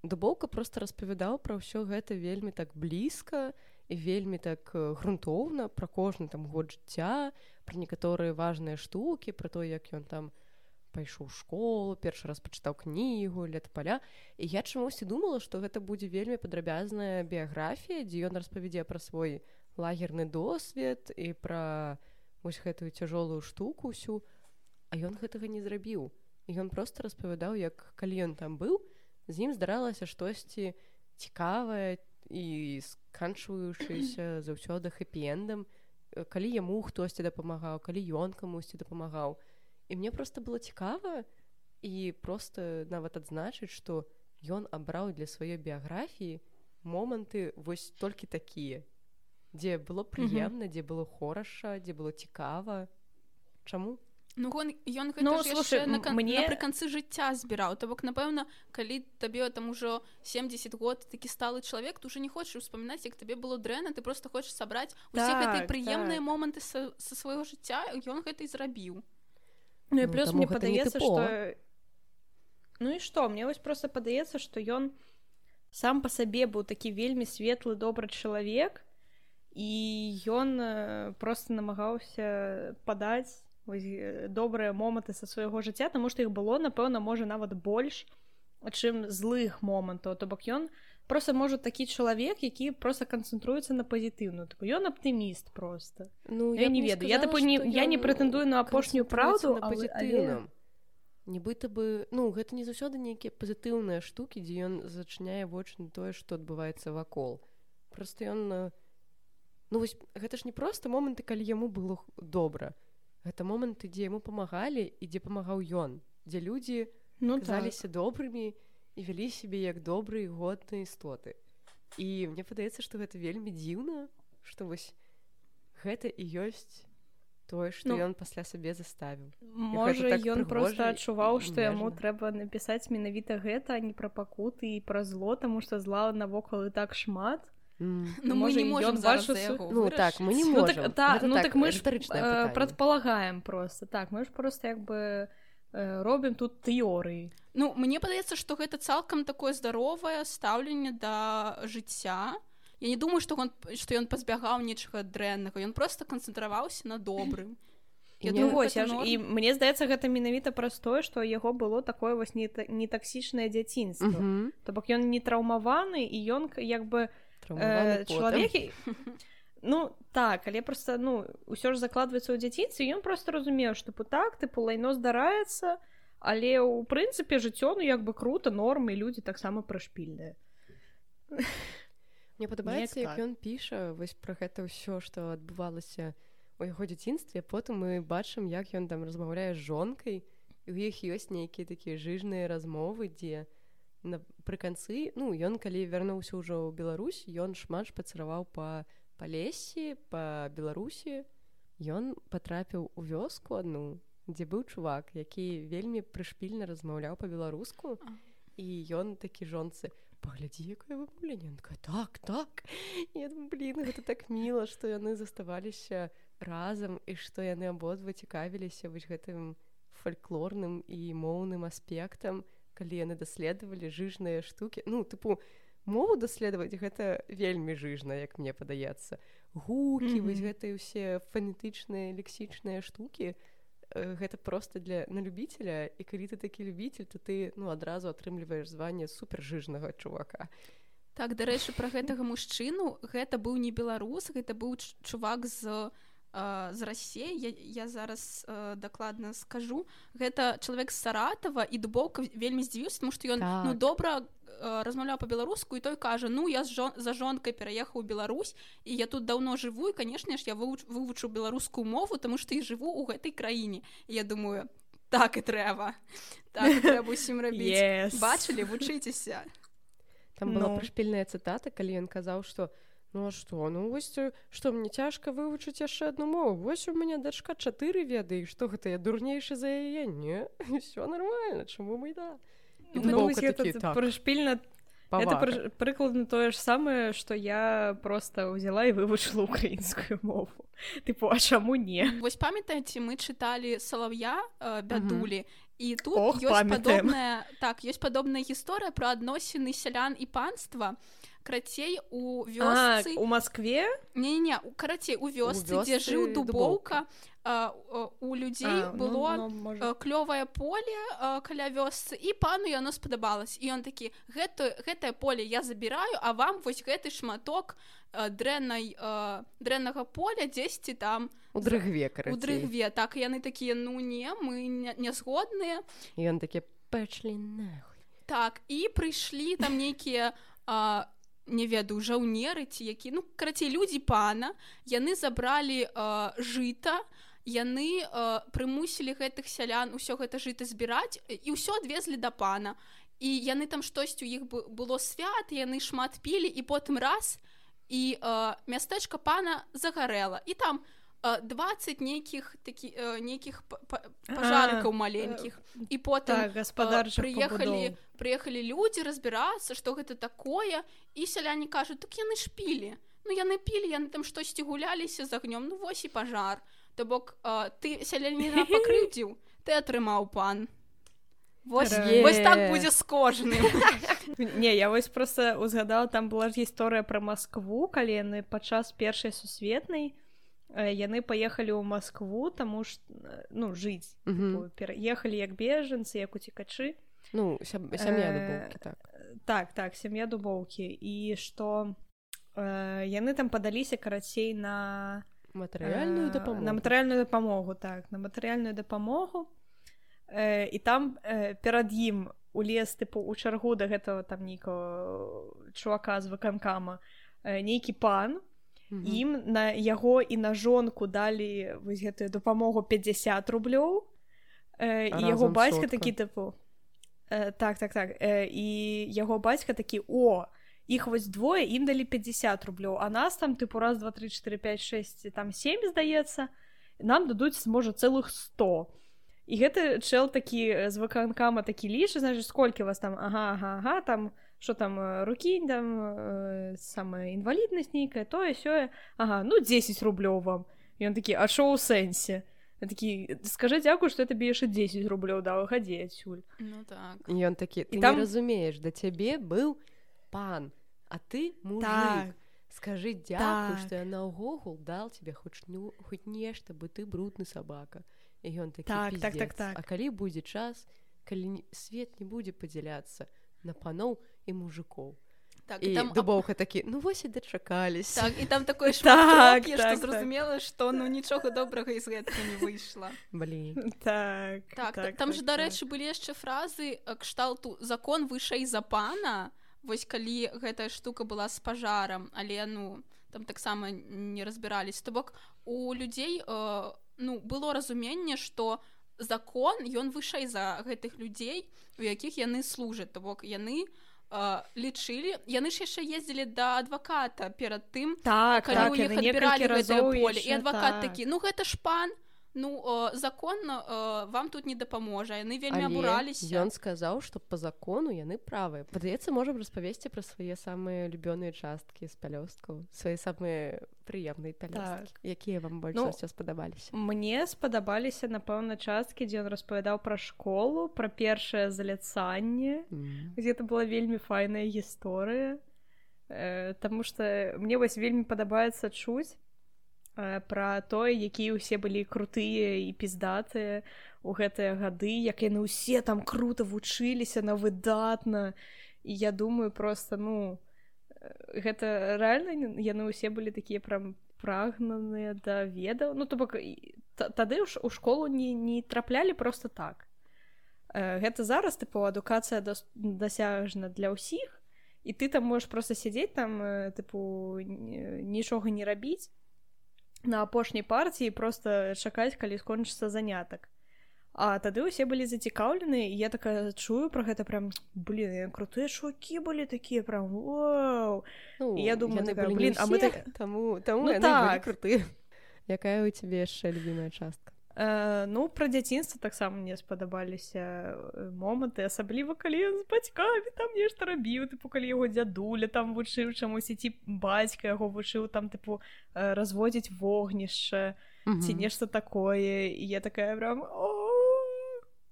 Дубоўка проста распавядаў пра ўсё гэта вельмі так блізка і вельмі так грунтоўна, пра кожны там год жыцця, пра некаторыя важныя штукі, пра то, як ён там пайшоў у школу, першы раз пачытаў кнігу «Летапаля», і я чамусьці думала, што гэта будзе вельмі падрабязная біяграфія, дзе ён распавядзе пра свой лагерны досвед і пра вось гэтую цяжолую штуку ўсю, а ён гэтага не зрабіў. І ён проста распавядаў, як калі ён там быў, з ім здаралася штосьці цікавае і сканчваючыся заўсёды хэпі-эндам, калі яму хтосьці дапамагаў, калі ён камусьці дапамагаў. І мне проста было цікава і проста нават адзначыць, што ён абраў для сваёй біяграфіі моманты вось толькі такія, дзе было прыемна, дзе было хораша, дзе было цікава. Чаму? Ну, он, ён гэта ну, ж слушай, яшчэ на, мне... напрыканцы жыцця збіраў. То бок, напэўна, калі табе там ужо семдзесят год такі сталы чалавек, ты ўжо не хочаш успамінаць, як табе было дрэнна, ты просто хочаш сабраць усе так, гэтыя прыемныя так. моманты са, са свайго жыцця, ён гэта і зрабіў. Ну, і плюс ну, мне падаецца, што... Ну і што? Мне вось проста падаецца, што ён сам па сабе быў такі вельмі светлы, добры чалавек, і ён проста намагаўся падаць добрыя моманты са свайго жыцця, таму што іх было, напэўна, можа нават больш, чым злых момантаў. То бок ён проста можа такі чалавек, які проста канцэнтруецца на пазітыўную. Ён аптыміст проста. Ну, я, я не ведаю. Я, тапу, не, я не прэтэндую на апошнюю праўду, на пазітыўным. Нібыта бы, ну, гэта не заўсёды нейкія пазітыўныя штукі, дзе ён зачыняе вочы на тое, што адбываецца вакол. Проста ён... Ну, вось, гэта ж не проста моманты, калі яму было добра. Гэта моманты, дзе яму памагалі і дзе памагаў ён, дзе людзі ну, казаліся так. добрымі і вялі сябе як добрыя годныя істоты. І мне падаецца, што гэта вельмі дзіўна, што вось гэта і ёсць тое, што ну, ён пасля сабе заставіў. Можа, так ён проста адчуваў, што яму трэба напісаць менавіта гэта, а не пра пакуты і пра зло, таму што зла навокал і так шмат. Mm. Ну, мы не можем зараз за яго ну, так, мы не можем. Ну, так, та, ну, так, так мы ж э, прадпалагаем просто. Так, мы ж просто як бы э, робім тут тэорыі. Ну, мне падаецца, што гэта цалкам такое здаровае стаўленне да жыцця. Я не думаю, што ён, што ён пазбягаў нечага дрэннага. Ён проста канцэнтраваўся на добрым. Я думаю, вось, я ж, і мне здаецца, гэта менавіта праз тое, што яго было такое вось нетаксічнае дзяцінства. Mm-hmm. То бок ён не траўмаваны, і ён як бы Э, чалавек ну так, але просто ну ўсё ж закладваецца ў дзяцінстве, ён просто разумеў, што так тыпу лайно здараецца, але ў прынцыпе жыццё ну як бы круто, нормы, людзі таксама прышпільныя. Мне падабаецца, як ён піша вось пра гэта ўсё, што адбывалася у яго дзяцінстве, потым мы бачым, як ён там размаўляе з жонкай, і ў іх ёсць нейкія такія жыжныя размовы, дзе напрыканцы, ну, ён, калі вярнуўся ўжо ў Беларусь, ён шмат шпацыраваў па Палесі, па Беларусі. Ён патрапіў у вёску адну, дзе быў чувак, які вельмі прышпільна размаўляў па-беларуску, і ён такі жонцы: «Паглядзі, якое вымаўленне». Ён такая: «Так, так». І я думаю, блін, гэта так міла, што яны заставаліся разам, і што яны абодва цікавіліся вось гэтым фальклорным і моўным аспектам, калі яны даследавалі жыжныя штукі. Ну, тыпу, мову даследаваць гэта вельмі жыжна, як мне падаецца. Гукі, mm-hmm. вось гэтыя ўсе фанетычныя, лексічныя штукі, гэта проста для на любіцеля, і калі ты такі любіцель, то ты ну, адразу атрымліваеш званне супержыжнага чувака. Так, дарэчы, пра гэтага мужчыну, гэта быў не беларус, гэта быў чувак з... з Расіі, я, я зараз э, дакладна скажу, гэта чалавек з Саратава, і Дубоўка вельмі здзівіўся, тому што ён так. ну, добра э, размаўляў па-беларуску, і той кажа: «Ну, я жон, за жонкай пераехаў у Беларусь, і я тут даўно жыву, і, канешне ж, я вывуч, вывучу беларускую мову, таму што я жыву ў гэтай краіне». І я думаю, так і трэба. Так і трэба ўсім рабіць. Yes. Бачылі, вучыцеся. Там была no. прышпільная цытата, калі ён казаў, што ну а што, ну вось, што мне цяжка вывучыць яшчэ адну мову. Вось у мяне дачка чатыры ведае, і што гэта, я дурнейшы за яе? Не, ўсё нармальна, чаму мы да? І ну, такі, так. Прышпільна, гэта пры, прыкладна тое ж самае, што я проста ўзяла і вывучыла ўкраінскую мову. Тыпу, а чаму не? Вось памятаеце, мы чыталі Салаўя э, Бядулі, uh-huh. і тут Ох, ёсць падобная, так, ёсць падобная гісторыя пра адносіны сялян і панства, карацей у вёсцы а, у Москве не-не, карацей у вёсцы, у дзе вёсцы жыў Дубоўка, Дубоўка. а, у людзей А, было ну, ну, можа. клёвае поле а, каля вёсцы, і пану яно спадабалось, і ён такі, гэта, гэтае поле я забіраю, а вам вось гэты шматок а, дрэннай, а, дрэннага поля дзесьці там у дрыгве, карацей. У дрыгве, так, і яны такія, ну не, мы не, не згодныя. І ён такі, пэчлі нахуй. Так, і прыйшлі там нейкія а, не ведаю, жаўнеры ці які, ну, карацей, людзі пана, яны забралі а, жыта, яны а, прымусілі гэтых сялян усё гэта жыта збіраць, і ўсё адвезлі да пана. І яны там штосьці у іх было свят, яны шмат пілі, і потым раз, і а, мястэчка пана загарэла. І там двадцать нейкіх такі нейкіх пажарыкаў маленькіх, і потым так, прыехалі прыехалі людзі разбірацца, што гэта такое, і сяляне кажуць, так яны ж пілі, ну яны пілі, яны там штосьці гуляліся з агнём, ну вось і пажар, то бок ты сяляніна пакрыўдзіў, ты атрымаў пан. Вось, вось так будзе з кожным. Не, я вось просто узгадала, там была ж гісторыя пра Маскву, калі яны падчас першай сусветнай яны паехалі ў Маскву, таму што, ну, жыць. Угу. Пераехалі як бежанцы, як уцекачы. Ну, сям'я Дубоўкі, так. Так, так, сям'я Дубоўкі. І што э, яны там падаліся, карацей, на... Матэрыяльную дапамогу. На матэрыяльную дапамогу, так, на матэрыяльную дапамогу. Э, і там э, перад ім улез, тыпу, у чаргу да гэтага там нейкага чувака з выканкама э, нейкі пан, Mm-hmm. ім на яго і на жонку далі вось гэтую дапамогу пятьдесят рублёў, э, і яго бацька такі тыпу э, так, так, так э, і яго бацька такі, о, іх вось двое, ім далі пятьдесят рублёў, а нас там тыпу раз, два, три, четыре, пять, шесть, там семь, здаецца, нам дадуць, можа, цэлых сто. І гэты чэл такі з выканкама такі лічы, значыць, сколькі вас там, ага, ага, ага, там что там, рукі, там, э, самая інваліднасць нейкая, тое, сёе, ага, ну, десять рублёў вам. І ён такі, а шо ў сэнсе? Я такі, скажи дзякую, што я табе яшчэ десять рублёў даў, хадзі адсюль. Ну, так. І ён такі, ты там... не разумееш, да цябе быў пан, а ты мужик. Так. Скажи дзякую, так. што я наогул дал тебе хоць, ну, хоць нешта, бо ты брудны сабака. І ён такі, так, пиздец. Так, так, так. А калі будзе час, калі свет не будзе падзяляцца на паноў і мужикоў. Так, і і там Дубоўка такі, ну вось і дачакаліся. Так, і там такое шмат, што зразумела, што ну нічога добрага з гэтага не выйшла. Блін. Так, так, так, там так, же, дарэчы, былі яшчэ фразы кшталту «закон вышэй за пана», вось калі гэтая штука была з пажарам, але, ну, там таксама не разбіраліся. То бок, у людзей, э, ну, было разуменне, што закон, ён вышэй за гэтых людзей, у якіх яны служаць. То бок, яны э, лічылі, яны ж яшчэ ездзілі да адваката перад тым, так, калі так, ў іх адбіралі гэтае поле. І адвакат так. такі, ну гэта ж пан, ну э, закон э, вам тут не дапаможа. Яны вельмі але абураліся. Ён сказаў, што па закону яны правыя. Падаецца, можам распавесці пра свае самыя любёныя часткі з пялёсткаў, свае самыя прыемныя пялёсткі. Так. Якія вам больш ну, ўсё спадабаліся? Мне спадабаліся, напэўна, часткі, дзе ён распавядаў пра школу, пра першае заляцанне. Mm. Гэта была вельмі файная гісторыя, э, таму што мне вось вельмі падабаецца чуць пра тое, якія ўсе былі крутыя і піздатыя ў гэтыя гады, як яны ўсе там крута вучыліся на выдатна. І я думаю, просто, ну, гэта рэальна, яны ўсе былі такія прям прагнаныя да ведаў. Ну, то бок, тады ў школу не, не траплялі просто так. Гэта зараз, тыпу, адукацыя дасяжна для ўсіх, і ты там можаш просто сядзець там, тыпу, нічога не рабіць на апошняй партіі, просто чакаць, калі скончыцца занятак. А тады ўсе былі зацікаўлены, і я такая чую пра гэта прям, блин, крутыя чувакі былі такія прям, вау. Ну, і я думаю, такая, блин, а мы так... Таму, таму ну, яны так. былі крутыя. Якая ў цябе яшчэ любімая частка? Э, ну, пра дзяцінства таксама мне спадабаліся моманты, асабліва калі ён з бацькамі там нешта рабіў, тыпу, калі яго дзядуля там вучыў чамусь, ці бацька яго вучыў там, тыпу, разводзіць вогнішча, mm-hmm. ці нешта такое, і я такая прям, о,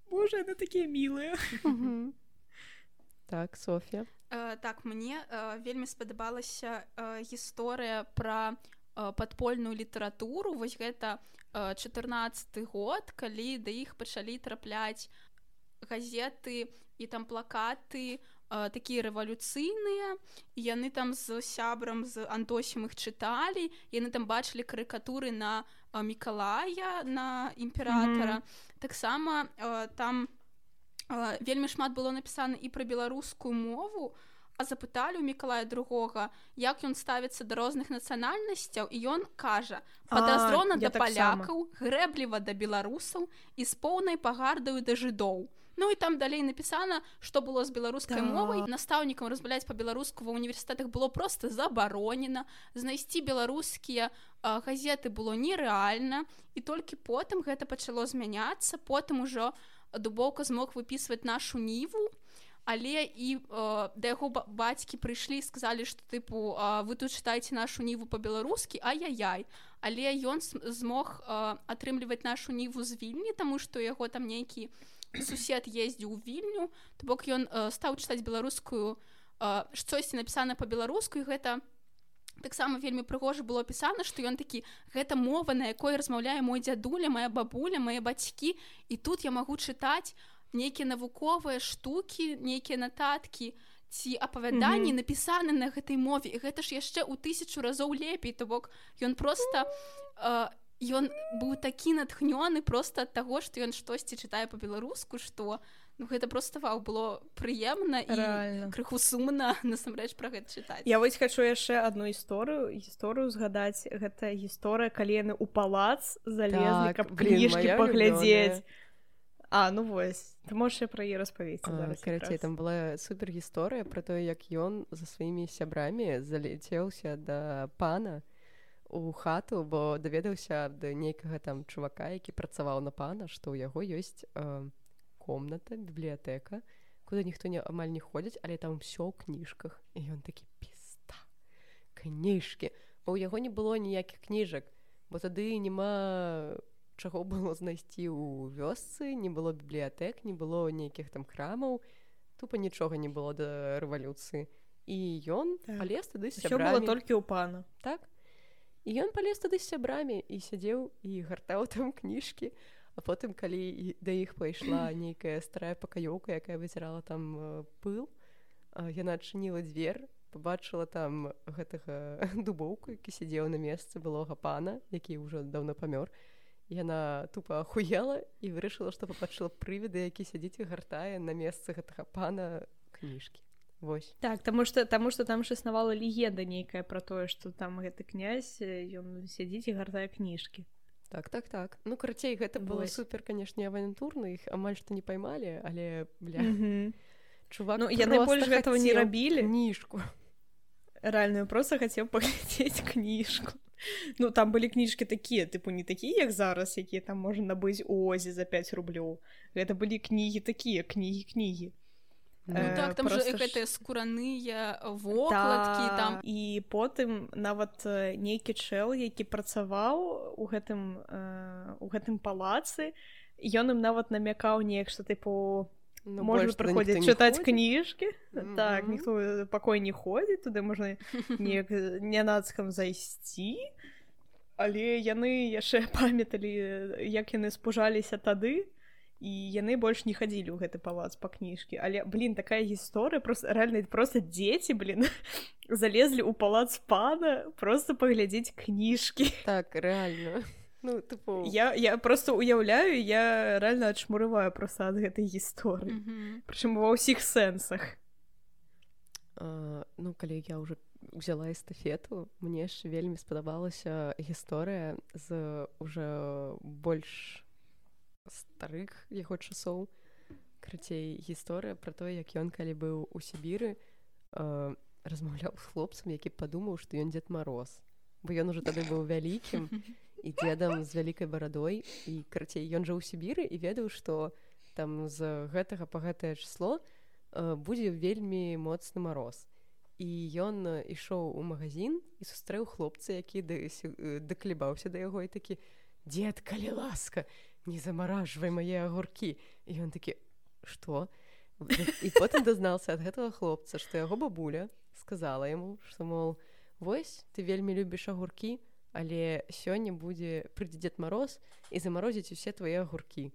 боже, яны такія мілыя. Mm-hmm. Так, Соф'я. Э, так, мне э, вельмі спадабалася э, гісторыя пра э, падпольную літаратуру. Вось гэта э, чатырнаццаты год, калі да іх пачалі трапляць газеты і там плакаты э, такія рэвалюцыйныя, і яны там з сябрам з Антосем іх чыталі, яны там бачылі карыкатуры на э, Мікалая, на імператара. Mm-hmm. Таксама э, там э, вельмі шмат было напісана і пра беларускую мову, а запыталі ў Мікалая другога, як ён ставіцца да розных нацыянальнасцяў, і ён кажа: падазрона да палякаў, грэбліва да беларусаў і з поўнай пагардаю да жыдоў. Ну і там далей напісана, што было з беларускай да. мовай. Настаўнікам размаўляць па-беларуску ва ўніверсітэтах было проста забаронена. Знайсці беларускія а, газеты было нерэальна, і толькі потым гэта пачало змяняцца. Потым ужо Дубоўка змог выпісваць нашу ніву, але і э, да яго бацькі прыйшлі і сказалі, што тыпу э, вы тут чытаеце нашу ніву па-беларускі, ай-яй-яй. Але ён змог э, атрымліваць нашу ніву з Вільні, таму што яго там нейкі сусед ездзіў у Вільню, то бок ён э, стаў чытаць беларускую, э, штосьці напісана па-беларуску, і гэта таксама вельмі прыгожа было апісана, што ён такі: гэта мова, на якой размаўляе мой дзядуля, моя бабуля, мае бацькі, і тут я магу чытаць нейкія навуковыя штукі, нейкія нататкі ці апавяданні, mm-hmm. напісаны на гэтай мове, і гэта ж яшчэ ў тысячу разоў лепей, то бок ён проста... Э, ён быў такі натхнёны проста ад таго, што ён штосьці чытае па-беларуску, што ну, гэта проста вау, было прыемна і Реально. крыху сумна насамрэч пра гэта чытаць. Я вось хачу яшчэ адну гісторыю гісторыю згадаць. Гэта гісторыя, калі яны ў палац залезлі, так, каб кніжкі паглядзець. А, ну вось, ты можаш пра яе распавесці зараз. Карацей, там была супер гісторыя пра тое, як ён за сваімі сябрамі залецеўся да пана у хату, бо даведаўся ад нейкага там чувака, які працаваў на пана, што ў яго ёсць э, комната, бібліятэка, куды ніхто не, амаль не ходзіць, але там ўсё ў кніжках. І ён такі: пізда, кніжкі. Бо ў яго не было ніякіх кніжак, бо тады няма чаго было знайсці ў вёсцы, не было бібліятэк, не было нейкіх там крамаў, тупа нічога не было да рэвалюцыі. І ён так. палез тады з сябрамі. Усё было толькі ў пана. Так. І ён палез тады з сябрамі і сядзеў і гартаў там кніжкі, а потым, калі да іх пайшла нейкая старая пакаёўка, якая выцірала там э, пыл, э, яна адчыніла дзвер, пабачыла там гэтага Дубоўку, які сядзеў на месцы былога пана, які ўжо даўно памёр. Яна тупа ахуела і вырашыла, што пабачыла прывіда, які сядзіць і гартае на месцы гэтага пана кніжкі. Вось. Так, таму што, таму што там ж існавала легенда нейкая пра тое, што там гэты князь, ён сядзіць і гартае кніжкі. Так, так, так. Ну, карацей, гэта было супер, канешне, авантурна, іх амаль што не паймалі, але, бля, mm-hmm. чувак ну, яны больш гэтага не рабілі. Кніжку. Рэальна, проста хацеў паглядзець кніжку. Ну, там былі кніжкі такія, тыпу не такія, як зараз, якія там можна набыць у Озе за пяць рублёў. Гэта былі кнігі такія, кнігі-кнігі. Ну э, так, там же гэтыя скураныя вокладкі та, там. І потым нават нейкі чэл, які працаваў у гэтым, э, у гэтым палацы, ён ім нават намякаў неяк, што тыпу ну, можна прыходзіць чытаць кніжкі. Mm-hmm. Так, ніхто пакой не ходзіць, туды можна неяк нянацкам зайсці. Але яны яшчэ памяталі, як яны спужаліся тады. І яны больш не хадзілі ў гэты палац па кніжкі. Але, блін, такая гісторыя, просто, рэальна, просто дзеці, блін, залезлі ў палац пана проста паглядзець кніжкі. Так, рэальна. Ну, тыпу... Я, я просто уяўляю, я рэальна адшмурываю проста ад гэтай гісторыі. Mm-hmm. Прычым ва ўсіх сэнсах. Uh, ну, калі я ўжо взяла эстафету, мне яшчэ вельмі спадабалася гісторыя з уже больш старых яго часоў. Карацей, гісторыя пра тое, як ён, калі быў у Сібіры, э, размаўляў з хлопцам, які падумаў, што ён Дзед Мароз. Бо ён ужо тады быў вялікім і дзедам з вялікай барадой. І, карацей, ён жыў у Сібіры і ведаў, што там з гэтага па гэтае число э, будзе вельмі моцны мароз. І ён ішоў у магазин і сустрэў хлопца, які даклібаўся да яго і такі: «Дзед, калі ласка, не замаражвай мае агуркі». І ён такі: «Што?» І потым дазнаўся ад гэтага хлопца, што яго бабуля сказала яму, што, мол, вось, ты вельмі любіш агуркі, але сёння будзе прыйдзе Дзед Мароз і замарозіць усе твае агуркі.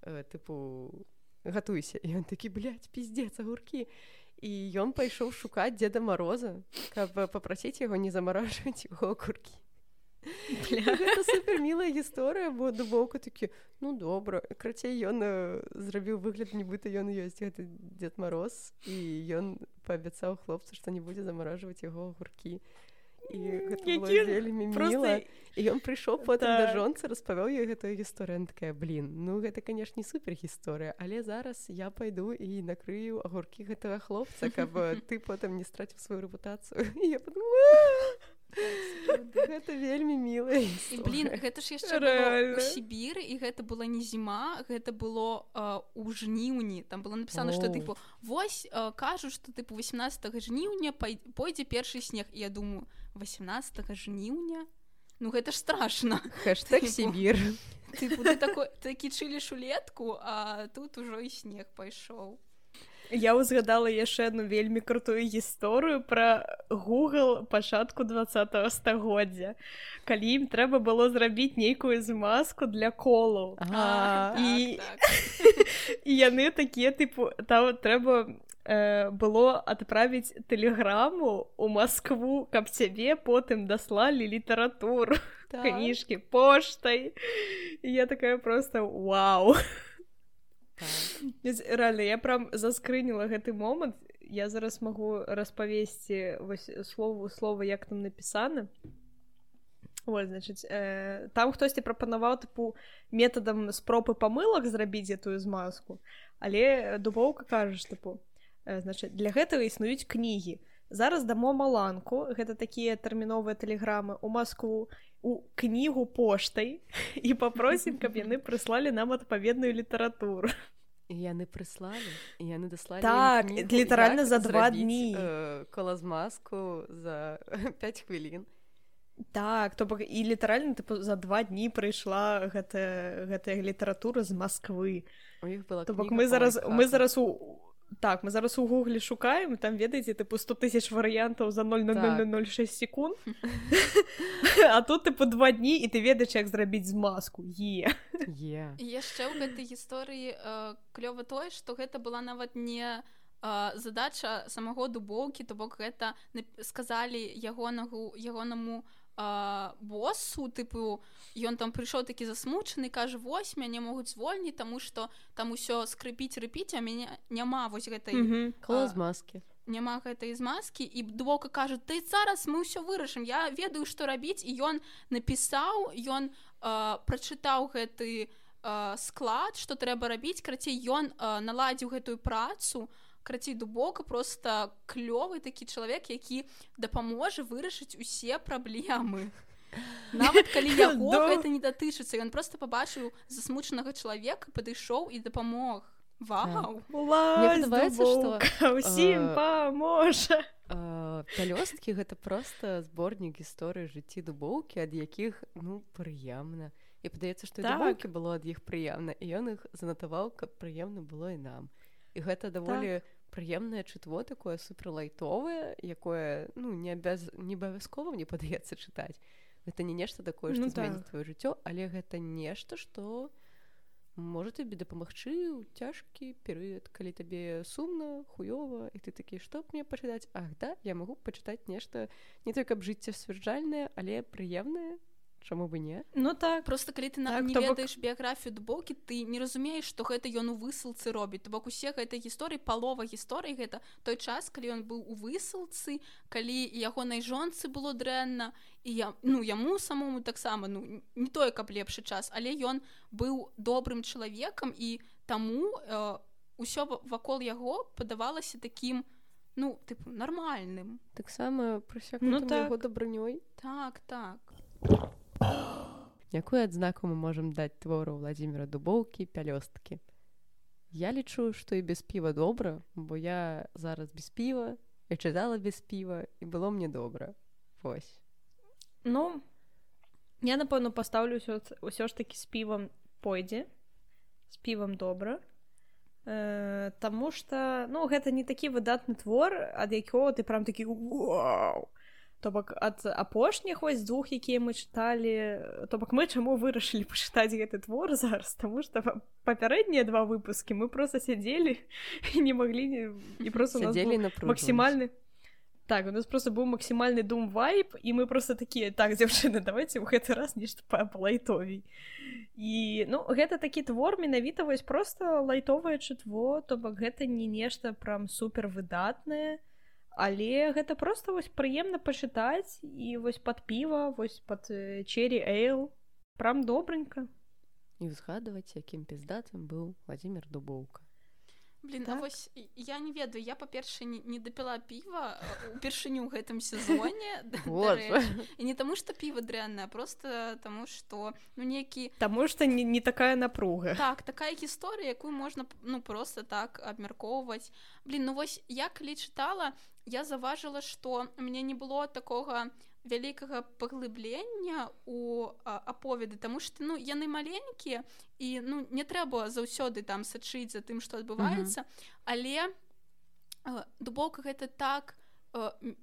Э, тыпу, гатуйся. І ён такі, блядь, пиздец, агуркі. І ён пайшоў шукаць Дзеда Мароза, каб папрасіць яго не замаражваць яго агуркі. Гэта супер мілая гісторыя, бо Дубоўка такі, ну добра, крацей ён э, зрабіў выгляд, нібыта ён ёсць гэты Дзед Мароз, і ён паабяцаў хлопцу, што не будзе замаражваць яго агуркі. І гэта было вельмі міла. І ён прыйшоў потым да жонцы, распавёў ёй гэтую гісторыю. Яна такая, блін, ну гэта, канешне, супер гісторыя, але зараз я пайду і накрыю агуркі гэтага хлопца, каб ты потым не страціў сваю рэпутацыю. І я подумала, гэта вельмі мілая гісторыя. І, блін, гэта ж яшчэ было ў Сібіры, і гэта была не зіма, гэта было э, у жніўні. Там было напісана, што, тыпу, вось, э, кажу, што, тыпу, васемнаццатага жніўня пойдзе першы снег. І я думаю, васемнаццатага жніўня? Ну, гэта ж страшна. Хэштэг Сібір. Тыпу, ты такой, такі чыліш улетку, а тут ужо і снег пайшоў. Я ўзгадала яшчэ адну вельмі крутую гісторыю пра Google пачатку двадцатага стагоддзя, калі ім трэба было зрабіць нейкую змазку для колаў. А, і... так, так. і яны такія, тыпу, там трэба э, было адправіць тэлеграму ў Маскву, каб цябе потым даслалі літаратуру, так. Кніжкі поштай. І я такая проста вау. Реально, я прям заскрыніла гэты момант. Я зараз магу распавесці слову слова, як там напісана. Вот, значит, э, там хтосьці прапанаваў тыпу метадам спроб і памылак зрабіць гэтую змазку, але Дубоўка кажа, тыпу, э, значит, для гэтага існуюць кнігі. Зараз дамо маланку, гэта такія тэрміновыя тэлеграмы ў Маскву, у кнігу поштай і папросім, каб яны прыслалі нам адпаведную літаратуру. І яны прыслалі, і яны даслалі так, кнігу, літаральна за два дні. Э, колазмазку за пяць хвілін. Так, то бок і літаральна тыпу, за два дні прыйшла гэтая, гэтая літаратура з Масквы. У іх была то бок мы зараз, мы зараз у Так, мы зараз у Гугле шукаем, там, ведаеце, тыпу сто тысяч варыянтаў за ноль цэлых нуль нуль нуль шэсць секунд. А тут, тыпу, два дні, і ты ведаеш, як зрабіць змазку. Е. Е. І яшчэ ў гэтай гісторыі э, клёва тое, што гэта была нават не э, задача самого Дубоўкі, то бок гэта сказалі ягонагу, ягонаму э, боссу, тыпу, ён там прыйшоў такі засмучаны, кажа, вось, мяне могуць звольніць, таму што там усё скрыпіць, рыпіць, а мяне няма вось гэтай... Mm-hmm. Колазмазкі. Няма гэтай змазкі, і Дубоўка кажа, ты зараз мы ўсё вырашым, я ведаю, што рабіць, і ён напісаў, ён э, прачытаў гэты э, склад, што трэба рабіць, крацей, ён э, наладзіў гэтую працу, крацей, Дубоўка просто клёвы такі чалавек, які дапаможа вырашыць усе праблемы. Нават калі яго гэта не датычыцца, ён просто пабачыў засмучанага чалавека, падышоў і дапамог. Вау! Улазь, Дубоўка, усім паможа! Пялёсткі — гэта проста зборнік гісторыі жыцці Дубоўкі, ад якіх, ну, прыемна. І падаецца, што і Дубоўкі было ад іх прыемна, і ён іх занатаваў, каб прыемна было і нам. І гэта даволі прыемнае чытво, такое суперлайтовае, якое, ну, не абавязкова, мне падаецца, чытаць. Гэта не нешта такое, што ну, зменіць твоё жыццё, але гэта нешта, што можа табе дапамагчы ў цяжкі перыяд, калі табе сумна, хуёва, і ты такі, што б мне пачытаць? Ах, да, я магу пачытаць нешта не то, каб жыццесцвярджальнае, але прыемнае. Чаму бы не? Ну так. Просто калі ты так, не ведаеш бок... біяграфію Дубоўкі, ты не разумееш, што гэта ён у высылцы робіць. То бок усе гэтай гісторыі, палова гісторыі гэта той час, калі ён быў у высылцы, калі ягонай жонцы было дрэнна, і я, ну, яму самому таксама, ну, не тое, каб лепшы час, але ён быў добрым чалавекам, і таму э, усё вакол яго падавалася такім, ну, тыпу, нармальным. Таксама прысякнутым ну, так. яго дабрынёй. Так, так. Якую адзнаку мы можам даць твору Владзіміра Дубоўкі «Пялёсткі»? Я лічу, што і без піва добра, бо я зараз без піва, і чытала без піва, і было мне добра. Вось. Ну, я, напэўна, пастаўлю ўсё, ўсё ж такі з півам пойдзе, з півам добра. э, таму што ну гэта не такі выдатны твор, ад якога ты прям такі вау. То бок ад апошніх вось двух, якія мы чыталі, то бок мы чаму вырашылі пачытаць гэты твор зараз, таму што папярэднія два выпускі мы проста сядзелі і не маглі і просто сядзелі максімальны. Так, у нас просто быў максімальны дум-вайб, і мы просто такія, так, дзяўчыны, давайте ў гэты раз нешта па-лайтовей. І, ну, гэта такі твор, менавіта вось проста лайтовае чытво, то бок гэта не нешта прям супер выдатнае, але гэта проста вось прыемна пачытаць і вось пад піва, вось пад чері эйл, прям добренька. І ўзгадваць, якім піздатым быў Владзімір Дубоўка. Блин, так. А вось я не ведаю, я па-першае не, не дапіла піва упершыню ў гэтым сезоне. І не таму, што піва дрэннае, а просто таму, што ну некі Таму што не, не такая напруга. Так, такая гісторыя, якую можна ну просто так абмяркоўваць. Блин, ну вось я калі чытала, я заўважыла, што у мяне не было такога вялікага паглыблення у аповеды, таму што ну яны маленькія і ну не трэба заўсёды там сачыць за тым, што адбываецца, uh-huh. але Дубоўка гэта так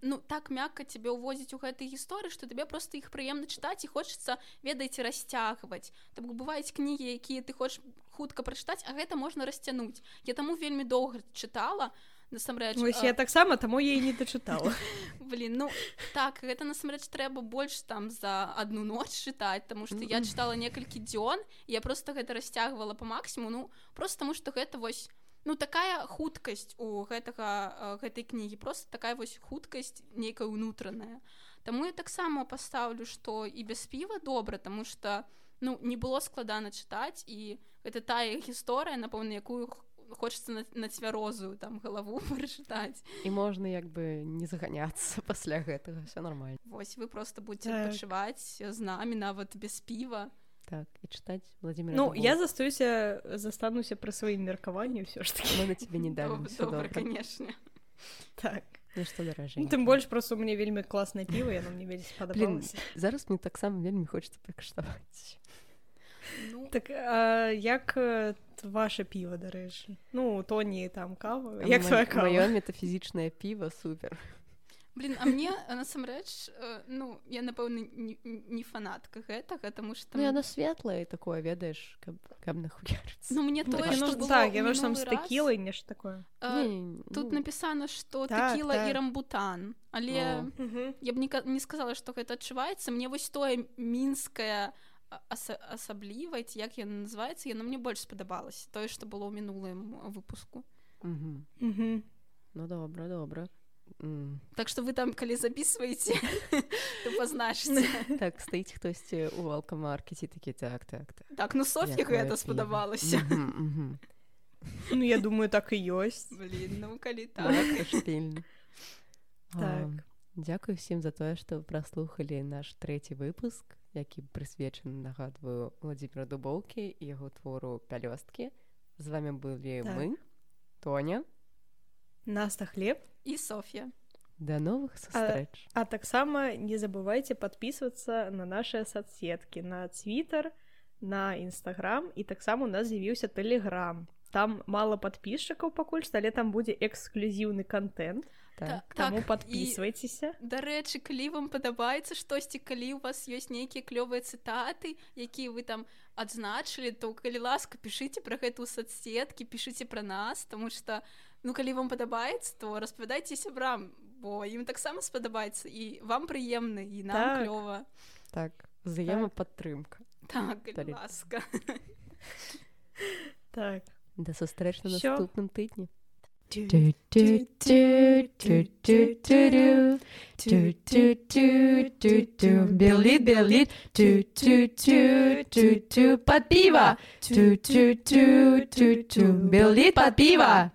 ну так мякка цябе ўвозіць у гэтай гісторыі, што табе проста іх прыемна чытаць і хочацца, ведаеце, расцягваць. Так бываюць кнігі, якія ты хочаш хутка прачытаць, а гэта можна расцянуць. Я таму вельмі доўга чытала. Насамрэч, Вось я таксама, таму я і не дачытала. Блин, ну так, гэта насамрэч трэба больш там за адну ноч чытаць, таму што я чытала некалькі дзён, і я проста гэта расцягвала па максімуму, ну проста таму што гэта вось ну такая хуткасць у гэтага гэтай кнігі, проста такая вось хуткасць нейкая ўнутраная. Таму я таксама пастаўлю, што і без піва добра, таму што ну не было складана чытаць, і гэта тая гісторыя, напэўна, якую хочацца на, на цвярозую там галаву прачытаць. І можна як бы не заганяцца пасля гэтага, все нормально. Вось вы просто будете так. адпачываць з намі нават без піва. Так, і чытаць Владзіміра Ну, Дубоўка. я застаюся, застануся пры сваім меркаванні ўсё ж таки. Мы на тебе не далі. Добра, канешне. Так. Ну, што даражэнька. Ну, тым больш, просто у мяне вельмі класнае піва, яно мне вельмі спадабалася. Блин, зараз мне таксама вельмі хочацца пакаштаваць. Ну... Так, а як ваше піва, дарэчы? Ну, Тоні там кава. А як ма... твоя кава? Маё метафізічнае піва супер. Блин, а мне, насамрэч, ну, я, напэўна, не, не фанатка гэтага, таму што... Ну, яно светлае такое, ведаеш, каб, каб нахуярыцца. Ну, мне тое, што было так, яно ж там з тэкілай, нешта такое. А, не, тут ну... напісана, што так, тэкіла так. і рамбутан, але ну. я б не, не сказала, што гэта адчуваецца. Мне вось тое мінскае аса- асаблівае, як яно называецца, яно мне больш спадабалася. Тое, што было ў мінулым выпуску. Угу. Угу. Ну, добра, добра. Mm. Так што вы там, калі записываеце, то пазначыце. Так, стаіць хтосьці ў алкамаркеце, такі, так, так, так. Так, ну Соф'і гэта спадабалася. Ну, я думаю, так і ёсць. Блін, ну, калі так. Так. Дзякую всім за тое, што праслухалі наш трэці выпуск, які прысвечаны, нагадваю, Владзіміру Дубоўкі і яго твору «Пялёсткі». З вамі былі мы, Тоня, Наста Хлеб і Соф'я. До новых сустрэч. А, а таксама не забывайте подписываться на наши соцсетки, на Twitter, на Instagram, і таксама у нас з'явіўся Telegram. Там мало подписчиков пакуль што, але там будзе эксклюзіўны контент. Так. Таму подписывайтеся. Дарэчы, калі вам падабаецца штосьці, калі у вас ёсць нейкія клёвыя цытаты, якія вы там адзначылі, то калі ласка, пішыце пра гэта ў соцсеткі, пішыце пра нас, таму што ну, калі вам падабаецца, то распавядайце сябрам, бо ім таксама спадабаецца, і вам прыемна, і нам так. клёва. Так, взаемападтрымка. Так, калі ласка. Так. Да сустрэч на наступным тыдні. Белит, белит, под пиво. Белит под пиво.